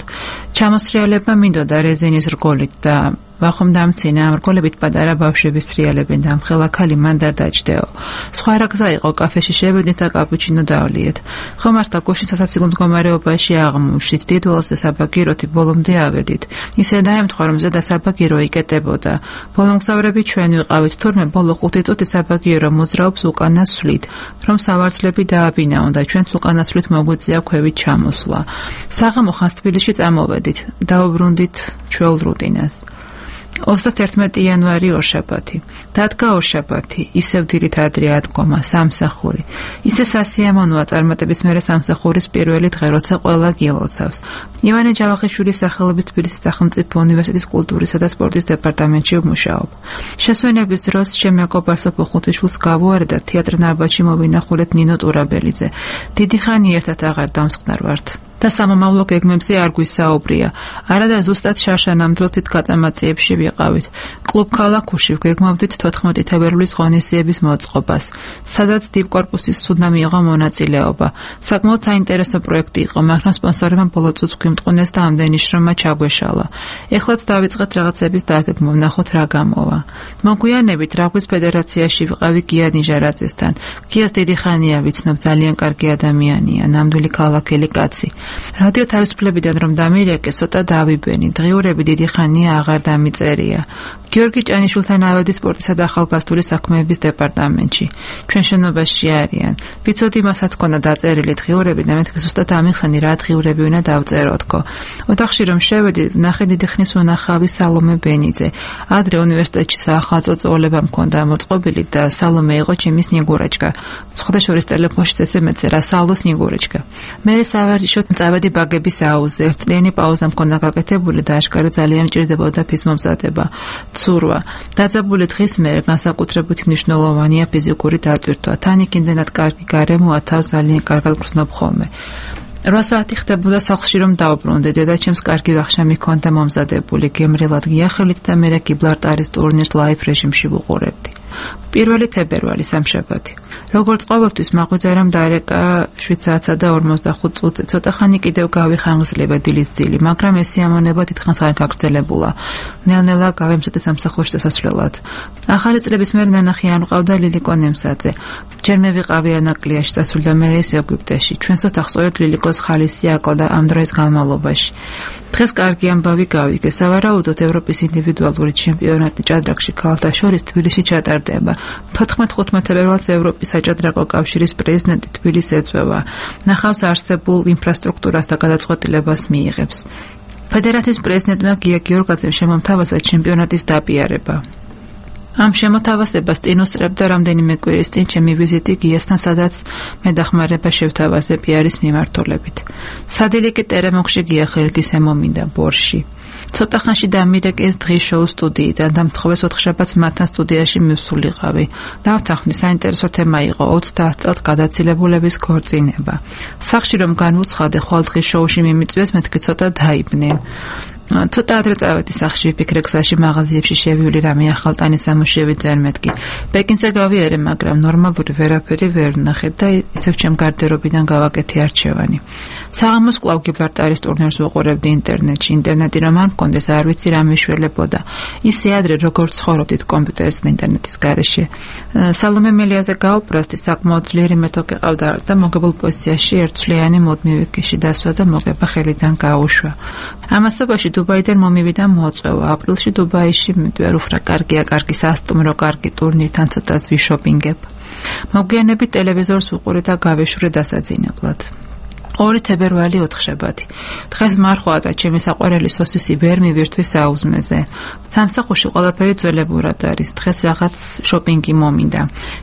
ჩამოსრიალებმა მინდოდა რეზინის რგოლით და ვახომ დამცინა, ამ რგოლებით პატარა ბავშვები სრიალებენ და ამხელა ქალი მან დაჯდეო. სხვა რა გზა იყო, კაფეში შევედით და კაპუჩინო დავლიეთ. ხო მართლა გუშინ სასაცილო მდგომარეობაში აღმოჩნდით, დიდველზე საბაგიროთი ბოლომდე ავედით. ისე დაემთხვა, რომ ზედა საბაგირო იკეტებოდა. ბოლომგზავრები ჩვენ ვიყავით, თურმე ბოლო 5 წუთი საბაგირო მოძრაობს უკანასვლით, რომ სავარძლები დააბინაონ და ჩვენც უკანასვლით მოგვიწია ქვევით ჩამოსვლა. საღამო ხანს თბილისში წამოვედით, დაუბრუნდით ჩვეულ რუტინას. 31 იანვარი ორშაბათი. დადგა ორშაბათი, ისევ დილით ადრე ადგომა, სამსახური. ისე სასიამოვნოა წარმატების მერე სამსახურის პირველი დღე, როცა ყველა გილოცავს. ივანე ჯავახიშვილის სახელობის თბილისის სახელმწიფო უნივერსიტეტის კულტურისა და სპორტის დეპარტამენტში ვმუშაობ. შესვენების დროს ჩემ მეგობარს ხუთიშვილს გავუარე და თეატრ ნარბათში მოვინახულეთ ნინო ტურაბელიძე. დიდი ხანი ერთად აღარ დამსხნარ ვართ. და სამომავლო გეგმებზე არ გვისაუბრია. არადა ზუსტად შარშა ნამდვილად გაწამაციებში ვიყავით. კლუბ ქალაქუში ვგეგმავდით 14 თებერვლის ღონისძიების მოწყობას, სადაც დიპკორპუსის სუდნა მიიღო მონაწილეობა. საკმაოდ საინტერესო პროექტი იყო, მაგრამ სპონსორებმა ბოლო წუთს გვიმტყუნეს და ამდენი შრომა ჩაგვეშალა. ეხლაც დავიწყეთ რაღაცების დაგეგმვა, ვნახოთ რა გამოვა. მოგვიანებით რაგბის ფედერაციაში ვიყავი გია ნიჟარაძესთან. გიას დიდი ხანია ვიცნობ, ძალიან კარგი ადამიანია, ნამდვილი ქალაქელი კაცი. რადიო თავისუფლებიდან რომ დამირეკე, ცოტა დავიბენი. დღიურები დიდი ხანია აღარ დამიწერია. გიორგი ჭანიშვილთან ავედი სპორტისა და ახალგაზრდული საქმეების დეპარტამენტში. ჩვენ შენობაში არიან. ვიცოდი მასაც ქონდა დაწერილი დღიურები და მეთქე ზუსტად ამიხსენი რა დღიურები უნდა დავწეროთქო. ოთახში რომ შევედი, ნახე დიდი ხნის უნახავი სალომე ბენიძე. ადრე უნივერსიტეტში საახალწლო წვეულება მქონდა მოწყობილი და სალომე იყო ჩემი სნიგურაჩკა. სხვადასხვა ტელეფონში წესემეცე რა სალო სნიგურაჩკა. მე სავარჯიშოდ წავედი ბაგების აუზზე. ერთწლიანი პაუზა მქონდა გაკეთებული და აშკარა ძალიან მჭირდებოდა ფიზმომზადება. ცურვა. დაძაბული დღის მერე განსაკუთრებით მნიშვნელოვანია ფიზიკური დატვირთვა. თან იქ იმდენად კარგი გარემოა, თავს ძალიან კარგად გრძნობ ხოლმე. 8 საათი ხდებოდა სახლში რომ დავბრუნდე. დედაჩემს კარგი ვახშამი ჰქონდა მომზადებული, გემრიელად გიახელით და მე გიბლარტარის ტურნირს ლაივ რეჟიმში ვუყურებდი. 1 თებერვალი სამშაბათი. როგორც ყოველთვის მაღვიძარამ დარეკა 7 საათსა და 45 წუთზე. ცოტა ხანი კიდევ გავიხანგრძლება დილის ძილი, მაგრამ ეს სიამონება დიდხანს არ გაგრძელებულა. ნელ-ნელა გავემზადე სამსახურში დასასვლელად. ახალი წლების მერე ნანახი არ მყავდა ლილიკო ნემსაძე. ჯერ მე ვიყავი ანაკლიაში დასული და მე ის ეგვიპტეში. ჩვენს ოთახს სწორედ ლილიკოს ხალისი აკლდა ამ დროის განმავლობაში. დღეს კარგი ამბავი გავიგე. სავარაუდოდ ევროპის ინდივიდუალური ჩემპიონატი ჭადრაკში ქალთა შორის თბილისში ჩატარდება. 14-15 თებერვალს ევროპის საჭადრაკო კავშირის პრეზიდენტი თბილისს ეწვევა. ნახავს არსებულ ინფრასტრუქტურას და გადაწყვეტილებას მიიღებს. ფედერაციის პრეზიდენტმა გია გიორგაძემ შემომთავაზა ჩემპიონატის დაპიარება. ამ შემოთავაზებას წინუსწრებდა რამდენიმე კვირის წინ ჩემი ვიზიტი გიასთან, სადაც მე დახმარება შევთავაზე პიარის მიმართულებით. სადილიკი ტერემოქში გიახელით ისე მომინდა ბორში. ცოტა ხანში დამირეკე ეს დღის შოუ სტუდიიდან და მთხოვეს 4 შაბათს მათთან სტუდიაში მივსულიყავი. დავთანხმდი, საინტერესო თემა იყო 30 წელს გადაცილებულების ქორწინება. სახში რომ განვუცხადე ხვალ დღის შოუში მიმიწვიეს, მეთქი ცოტა დაიბნე. ცოტა ადრე წავედი სახში, ვიფიქრე გზაში მაღაზიებში შევივლი რამე ახალტანი სამუშევი ძერ მეთქი. ბეკინზე გავიარე, მაგრამ ნორმალური ვერაფერი ვერ ვნახე და ისევ ჩემ გარდერობიდან გავაკეთე არჩევანი. საღამოს კვლავ გიბლარტარის ტურნირს ვუყურებდი ინტერნეტში. ინტერნეტი რომ არ მქონდეს, არ ვიცი რა მიშველებოდა. ისე ადრე როგორც ცხოვრობდით კომპიუტერის და ინტერნეტის გარეშე. სალომე მელიაზე გაუპრასდი, საკმაოდ ძლიერი მეთოქი ყავდა და მოგებულ პოზიციაში ერთწლიანი მუდმივი ქეში დასვა და მოგება ხელიდან გაუშვა. ამასობაში დუბაიდან მომივიდა მოწვევა. აპრილში დუბაიში მიდვარ, უფრა კარგია, კარგი სასტუმრო, კარგი ტურნირთან ცოტას ვიშოპინგებ. მოგვიანებით ტელევიზორს ვუყურე და გავეშურე დასაძინებლად. 2 თებერვალი 4 შაბათი. დღეს მარხვა და ჩემი საყვარელი სოსისი ვერ მივირთვი საუზმეზე. სამსახურში ყველაფერი ძველებურად არის. დღეს რაღაც შოპინგი მომინდა.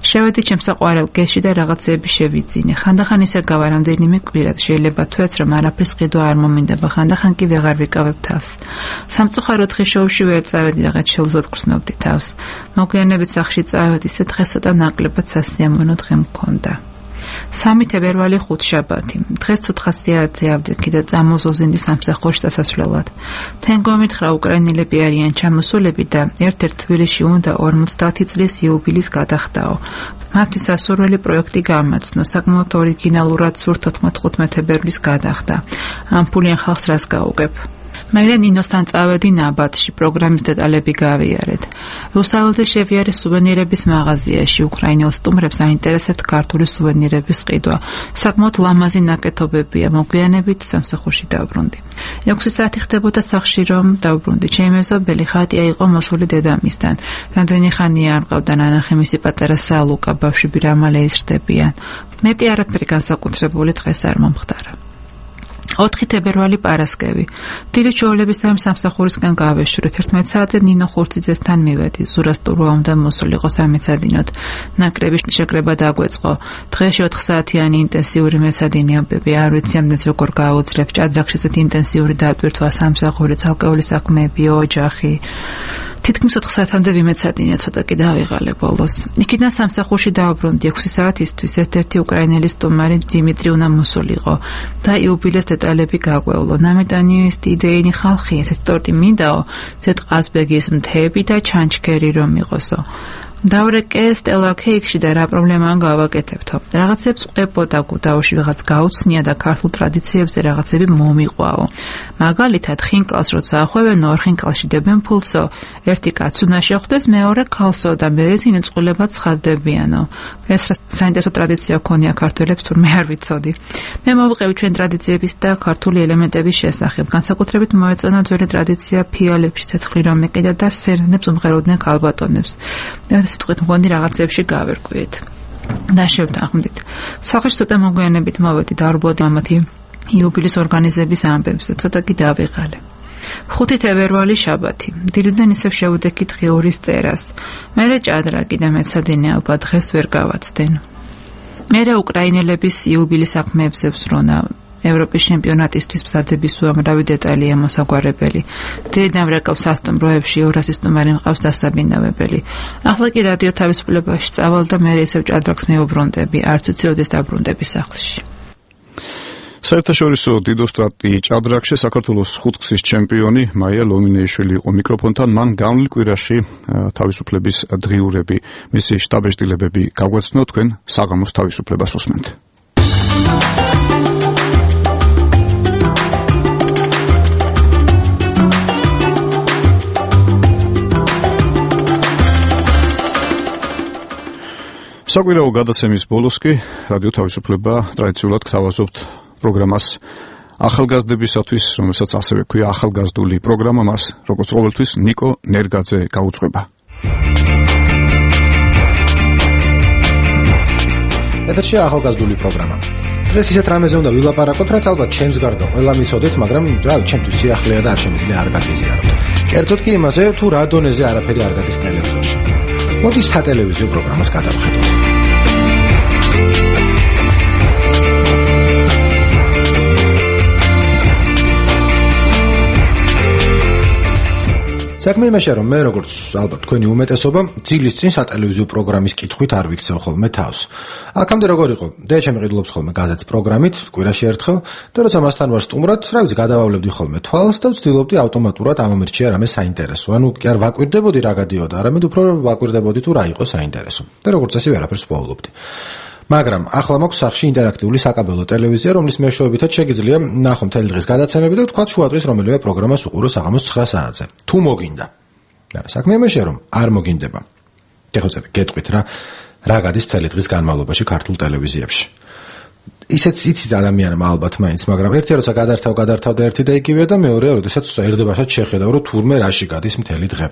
შევედი ჩემ საყვარელ გეში და რაღაცები შევიძინე. ხანდახან ისე გავა რამდენიმე კვირად. შეიძლება თვეც რომ არაფრის ყიდვა არ მომინდება, ხანდახან კი ვეღარ ვიკავებ თავს. სამწუხაროდ დღის შოუში ვერ წავედი, რაღაც შეუძლოდ გრძნობდი თავს. მოგვიანებით სახში წავედი, ისე დღეს ცოტა ნაკლებად სასიამოვნო დღე მქონდა. 3 თებერვალი 5 შაბათი. დღეს ცუთხასიათზე ავდექი და წამოზოზინდი სამსახურში დასასვლელად. თენგო მითხრა უკრაინელები არიან ჩამოსულები და ერთ-ერთ თბილისში უნდა 50 წლის იუბილის გადახდაო. მათთვის სასურველი პროექტი გამაცნო, საკმაოდ ორიგინალურად სურთ 15 თებერვლის გადახდა. ამ ფულიან ხალხს რას გაუგებ? მერე ნინოსთან წავედი ნაბათში, პროგრამის დეტალები გავიარეთ. რუსთაველზე შევიარე სუვენირების მაღაზიაში, უკრაინელ სტუმრებს აინტერესებთ ქართული სუვენირების ყიდვა. საკმაოდ ლამაზი ნაკეთობებია, მოგვიანებით სამსახურში დავბრუნდი. 6 საათი ხდებოდა სახში რომ დავბრუნდი. ჩემი მეზობელი ხატია იყო მოსული დედამისთან. რამდენი ხანია არ მყავდა ნანახი, მისი პატარა სალუკა, ბავშვები რამალე იზრდებიან. მეტი არაფერი განსაკუთრებული დღეს არ მომხდარა. 4 თებერვალი პარასკევი. დილით ჩვეულებრივ სამსახურისგან გავეშურეთ. 11 საათზე ნინო ხურციძესთან მივედი. ზურას ტურვა უნდა მოსულიყო 3 სადინოთ. ნაკრების შეკრება დაგვეწყო. დღეში 4 საათიანი ინტენსიური მესადინეობები. არ ვიცი ამდენს როგორ გააუძლებ. ჭადრაკში ესეთი ინტენსიური დატვირთვა, სამსახური, ცალკეული საქმეები, ოჯახი. თითქმის 4 საათამდე ვიმეცადინე, ცოტა კი დავიღალე ბოლოს. იქიდან სამსახურში დავბრუნდი 6 საათისთვის, ერთ-ერთი უკრაინელი სტუმარი დიმიტრი უნდა მოსულიყო და იუბილეს დეტალები გაგვევლო. ნამეტანი სტიდეინი ხალხი, ესეც ტორტი მინდაო, ზეთყაზბეგის მთები და ჩანჩქერი რომ იყოსო. დავრეკე სტელა კეიქში და რა პრობლემაა გავაკეთებთო. რაღაცებს ყვებოდა გუდაოში, ვიღაც გაუცნია და ქართულ ტრადიციებზე რაღაცები მომიყვაო. მაგალითად, ხინკალს როცა ახვევენ, ორ ხინკალში დებენ ფულსო. ერთი კაცს უნდა შეხვდეს, მეორე ქალსო და მერე წინეწყულებად ცხადდებიანო. ეს საინტერესო ტრადიცია ქონია ქართველებს, თურმე არ ვიცოდი. მე მოვყევი ჩვენ ტრადიციების და ქართული ელემენტების შესახებ. განსაკუთრებით მოეწონა ძველი ტრადიცია ფიალებში ცეცხლი რომ ეკიდა და სერნებს უმღეროდნენ ქალბატონებს. სიტყვით მგონი რაღაცებში გავერკვიეთ და შევთანხმდით. სახეში ცოტა მოგვიანებით მოვედი და არბოდი ამათი იუბილის ორგანიზების ამბებზე, ცოტა კი დავიღალე. 5 თებერვალი შაბათი. დილიდან ისევ შევუდექით ღიურის წერას. მერე ჭადრაკი და მეცადინე ალბათ დღეს ვერ გავაცდენ. მერე უკრაინელების იუბილის საქმეებზე ვსრონა. ევროპის ჩემპიონატისთვის მზადების უამრავი დეტალია მოსაგვარებელი. დილიდან ვრეკავს სასტუმროებში 200 სტუმარი მყავს დასაბინავებელი. ახლა კი რადიო თავისუფლებაში წავალ და მე ისევ ჭადრაკს მეუბრუნდები, არც ვიცი როდის დაბრუნდები სახლში. საერთაშორისო დიდოსტრატი ჭადრაკში საქართველოს ხუთგზის ჩემპიონი მაია ლომინეიშვილი იყო მიკროფონთან. მან გამვლ კვირაში თავისუფლების დღიურები, მისი შტაბეშტილებები გაგვაცნო, თქვენ საღამოს თავისუფლებას უსმენთ. საკვირაო გადაცემის ბოლოს კი რადიო თავისუფლება ტრადიციულად გთავაზობთ პროგრამას ახალგაზრდებისათვის, რომელსაც ასევე ქვია ახალგაზრდული პროგრამა. მას როგორც ყოველთვის ნიკო ნერგაძე გაუძღვება. ეთერშია ახალგაზრდული პროგრამა. დღეს ისეთ რამეზე უნდა ვილაპარაკოთ, რაც ალბათ ჩემს გარდა ყველა მიცოდეთ, მაგრამ ჩემთვის სიახლეა და არ შემიძლია არ გაგიზიაროთ. კერძოდ კი იმაზე, თუ რა დონეზე არაფერი არ გადის ტელევიზორში. მოდი სატელევიზიო პროგრამას გადავხედოთ. საქმე იმაშია, რომ მე როგორც ალბათ თქვენი უმეტესობა ძილის წინ სატელევიზიო პროგრამის კითხვით არ ვიქცევ ხოლმე თავს. აქამდე როგორ იყო? დედაჩემი ყიდულობს ხოლმე გაზეთს პროგრამით, კვირაში ერთხელ, და როცა მასთან ვარ სტუმრად, რა ვიცი, გადავავლებდი ხოლმე თვალს და ვცდილობდი ავტომატურად ამომირჩია რამე საინტერესო. ანუ კი არ ვაკვირდებოდი რა გადიოდა, არამედ უფრო ვაკვირდებოდი თუ რა იყო საინტერესო. და როგორც ასე ვერაფერს ვსვავლობდი. მაგრამ ახლა მაქვს სახში ინტერაქტიული საკაბელო ტელევიზია, რომლის მეშვეობითაც შეგიძლია ნახო მთელი დღის გადაცემები და თქვა შუა დღის რომელიმე პროგრამას უყურო საღამოს 9 საათზე. თუ მოგინდა. არა, საქმე იმაშია, რომ არ მოგინდება. გეხოცები, გეტყვით რა გადის მთელი დღის განმავლობაში ქართულ ტელევიზიებში. ისეც იცით ადამიანმა ალბათ მაინც, მაგრამ ერთი როცა გადართავ და ერთი და იგივეა და მეორე როდესაც ერდებასაც შეხედავ, რომ თურმე რაში გადის მთელი დღე.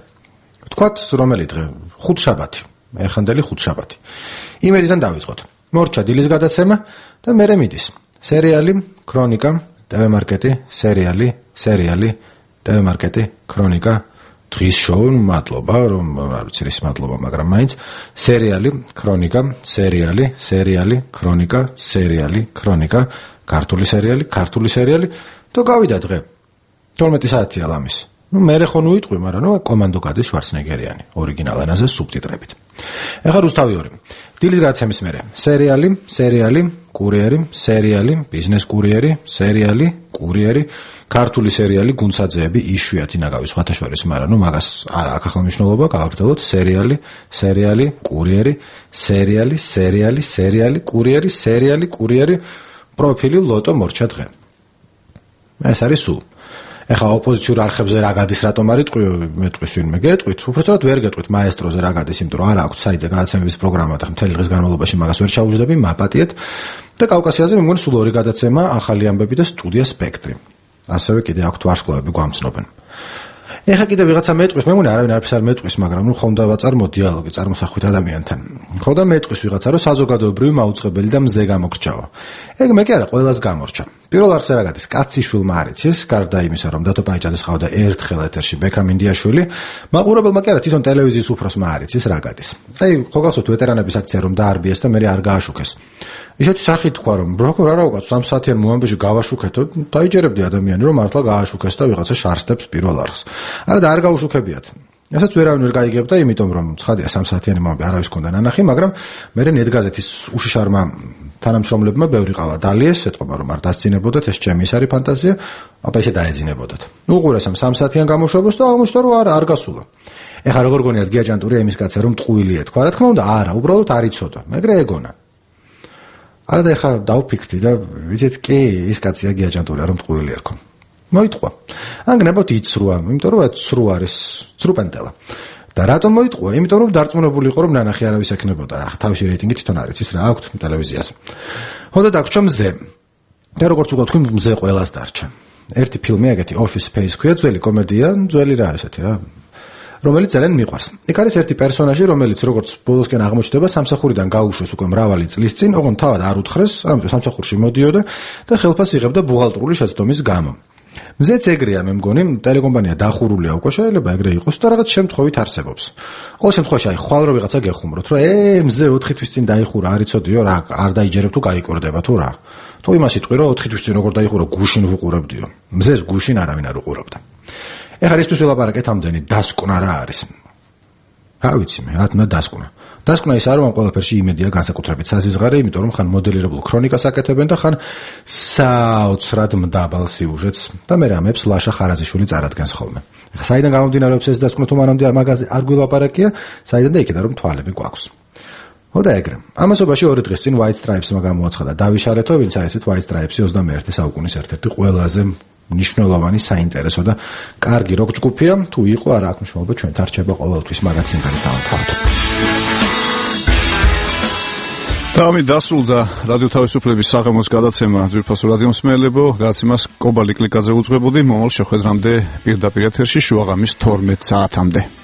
ვთქვათ, რომელი დღე? ხუთშაბათი. ეხანდელი ხუთშაბათი. იმედიდან დავიწყოთ. მორჩა დილის გადაცემა და მერე მიდის. სერიალი, ქრონიკა, TV მარკეტი, სერიალი, TV მარკეტი, ქრონიკა, დღის შოუ, მადლობა, რომ არ ვიცი რის მადლობა, მაგრამ მაინც სერიალი, ქრონიკა, სერიალი, ქრონიკა, ქრონიკა, ქართული სერიალი და გავიდა დღე. 12 საათია ლამის. მერე ხო უიტყვი, მაგრამ კომანდო გადის შვარცნეგერიანი, ორიგინალ ენაზე სუბტიტრებით. ეხლა რუსთავი 2. დილის გადაცემის მერე. სერიალი, კურიერი, ბიზნეს კურიერი, კურიერი, ქართული სერიალი, გუნცაძეები, იშვიათი ნაგავის სხვათაშორის, მაგრამ მაგას არა აქვს ახლა მნიშვნელობა, გავაგრძელოთ. სერიალი, კურიერი, კურიერი, პროფილი ლოტო მორჩა დღე. ეს არის სულ. ეხლა ოპოზიციურ არხებზე რა გადის, რატომ არ იტყვი, მეტყვის ვინმე გეტყვით, უბრალოდ ვერ გეტყვით მაესტროზე რა გადის, იმიტომ რომ არ აქვს საიტზე გადაცემების პროგრამა და მთელი დღის განმავლობაში მაგას ვერ ჩაუждები, მაპატიეთ და კავკასიაზე მე მგონი სულ 2 გადაცემა, ახალი ამბები და სტუდია სპექტრი. ასევე კიდე აქვთ ვარსკვლავები გვამცნობენ. ეხლა კიდე ვიღაცა მეტყვის, მე მგონი არავინ არაფერს არ მეტყვის, მაგრამ ხომ და ვაწარმო დიალოგი წარმოსახვით ადამიანთან. ხო და მეტყვის ვიღაცა, რომ საზოგადოებრივი მაუწყებელი და მზე გამოგრჩაო. ეგ მე კი არა, ყველას გამორჩა. პირველ არხზე რა გადის? კაციშვილმა არ იცის, გარდა იმისა, რომ დათო პაიჭაძეს ყავდა ერთხელ ეთერში ბექამინდიაშვილი, მაყურებელმა კი არა, თვითონ ტელევიზიის უფროსმა არ იცის რა გადის. აი, ხო გახსოვთ ვეტერანების აქცია რომ დაარბიეს და მე არ გააშუქეს. ისეთი სახით თქვა რომ როგორ არა უკაც 3 საათიან მომამბეში გავაშუქეთო, დაიჯერებდი ადამიანი რომ მართლა გააშუქეს და ვიღაცა შარსტებს პირველ არხს. არა და არ გაუშუქებიათ. ასაც ვერავინ ვერ გაიგებდა, იმიტომ რომ ცხადია 3 საათიანი მომავალი არავის ჰქონდა ნანახი, მაგრამ მე ნეტ გაზეთის უშიშარმა თანამშრომლებმა ბევრი ყავა დალიეს, ეთყობა რომ არ დასცინებოდათ, ეს ჩემი ის არის ფანტაზია, აბა ისე დაეძინებოდათ. უყურეს ამ 3 საათიან გამოშვებას და აღმოჩნდა რომ არ გასულა. ეხლა როგორ გონიათ გიაჯანტურია იმის კაცზე რომ ტყუილი ეთქვა, რა თქმა უნდა, არა, უბრალოდ არ იცოდა, მაგრამ ეგონა. არა და ეხლა დავფიქრდი და ვიცით კი, ის კაცია გიაჯანტურია რომ ტყუილი ერქვა. მოიტყვა. ან გნებოთ იცრუა, იმიტომ რომ ცრუ არის, ცრუპენტელა. და რატომ მოიტყვა? იმიტომ რომ დარწმუნებული იყო რომ ნანახი არავის ექნებოდა რა. თავისი რეიტინგი თვითონ არის, ის რა აქვს ტელევიზიას. ხოდა დაგვრჩა მზე. და როგორც უკვე თქვი, მზე ყველას დარჩა. ერთი ფილმი ეგეთი Office Space ქვია, ძველი კომედია, ძველი რა ესეთი რა. რომელიც ძალიან მიყვარს. იქ არის ერთი პერსონაჟი, რომელიც როგორც ბოლოსკენ აღმოჩნდება, სამსახურიდან გაუშვეს უკვე მრავალი წლის წინ, ოღონდ თავად არ უთხრეს, ამიტომ სამსახურში მოდიოდა და ხელფასს იღებდა ბუღალტრული შეცდომის გამო. მზეც ეგრეა, მე მგონი, ტელეკომპანია დახურულია უკვე, შეიძლება ეგრე იყოს და რაღაც შემთხვევით არსებობს. ყოველ შემთხვევაში აი ხვალ რო ვიღაცა გეხუმროთ, რომ მზე 4 თვის წინ დაიხურა, არ იცოდიო რა, არ დაიჯერებ თუ გაიკორდება თუ რა. თუ იმას იტყვი რომ 4 თვის წინ როგორ დაიხურა, გუშინ ვუყურებდიო. მზეს გუშინ არავინ არ უყურებდა. ეხლა ისთვის ველაპარაკეთ ამდენი დასკვნა რა არის. რა ვიცი მე, რა თქმა დასკვნა. დასკვნა ის არ რომ ყველაფერში იმედია განსაკუთრებით საზიზღარე, იმიტომ რომ ხან მოდელირებულ ქრონიკას აკეთებენ და ხან საოცრად მდაბალ სიუჟეტს და მე რამებს ლაშა ხარაზიშვილი წარადგენს ხოლმე. ეხლა საიდან გამომდინარეობს ეს დასკვნა თუ მანამდე მაგაზე არ გვილაპარაკია, საიდან და იქიდან რომ თვალები გვაქვს. ხოდა ეგრე. ამასობაში 2 დღის წინ White Stripes-მა გამოაცხადა დავიშარეთო, ვინც არის ეს White Stripes-ი 21 საუკუნის ერთ-ერთი ყველაზე ნიშნულოვანი საინტერესო და კარგი როკ ჯგუფია, თუ იყო არა აქვს მნიშვნელობა, ჩვენ თარჩება ყოველთვის მაგაც სიმღერით დავთავაზოთ. და ამით დასრულდა რადიო თავისუფლების საღამოს გადაცემა ძვირფასო რადიო მსმენელებო, გადაცემას კობალი კლიკაძე უძღვებოდი, მომავალ შეხვედრამდე პირდაპირ ეთერში შუაღამის 12 საათამდე.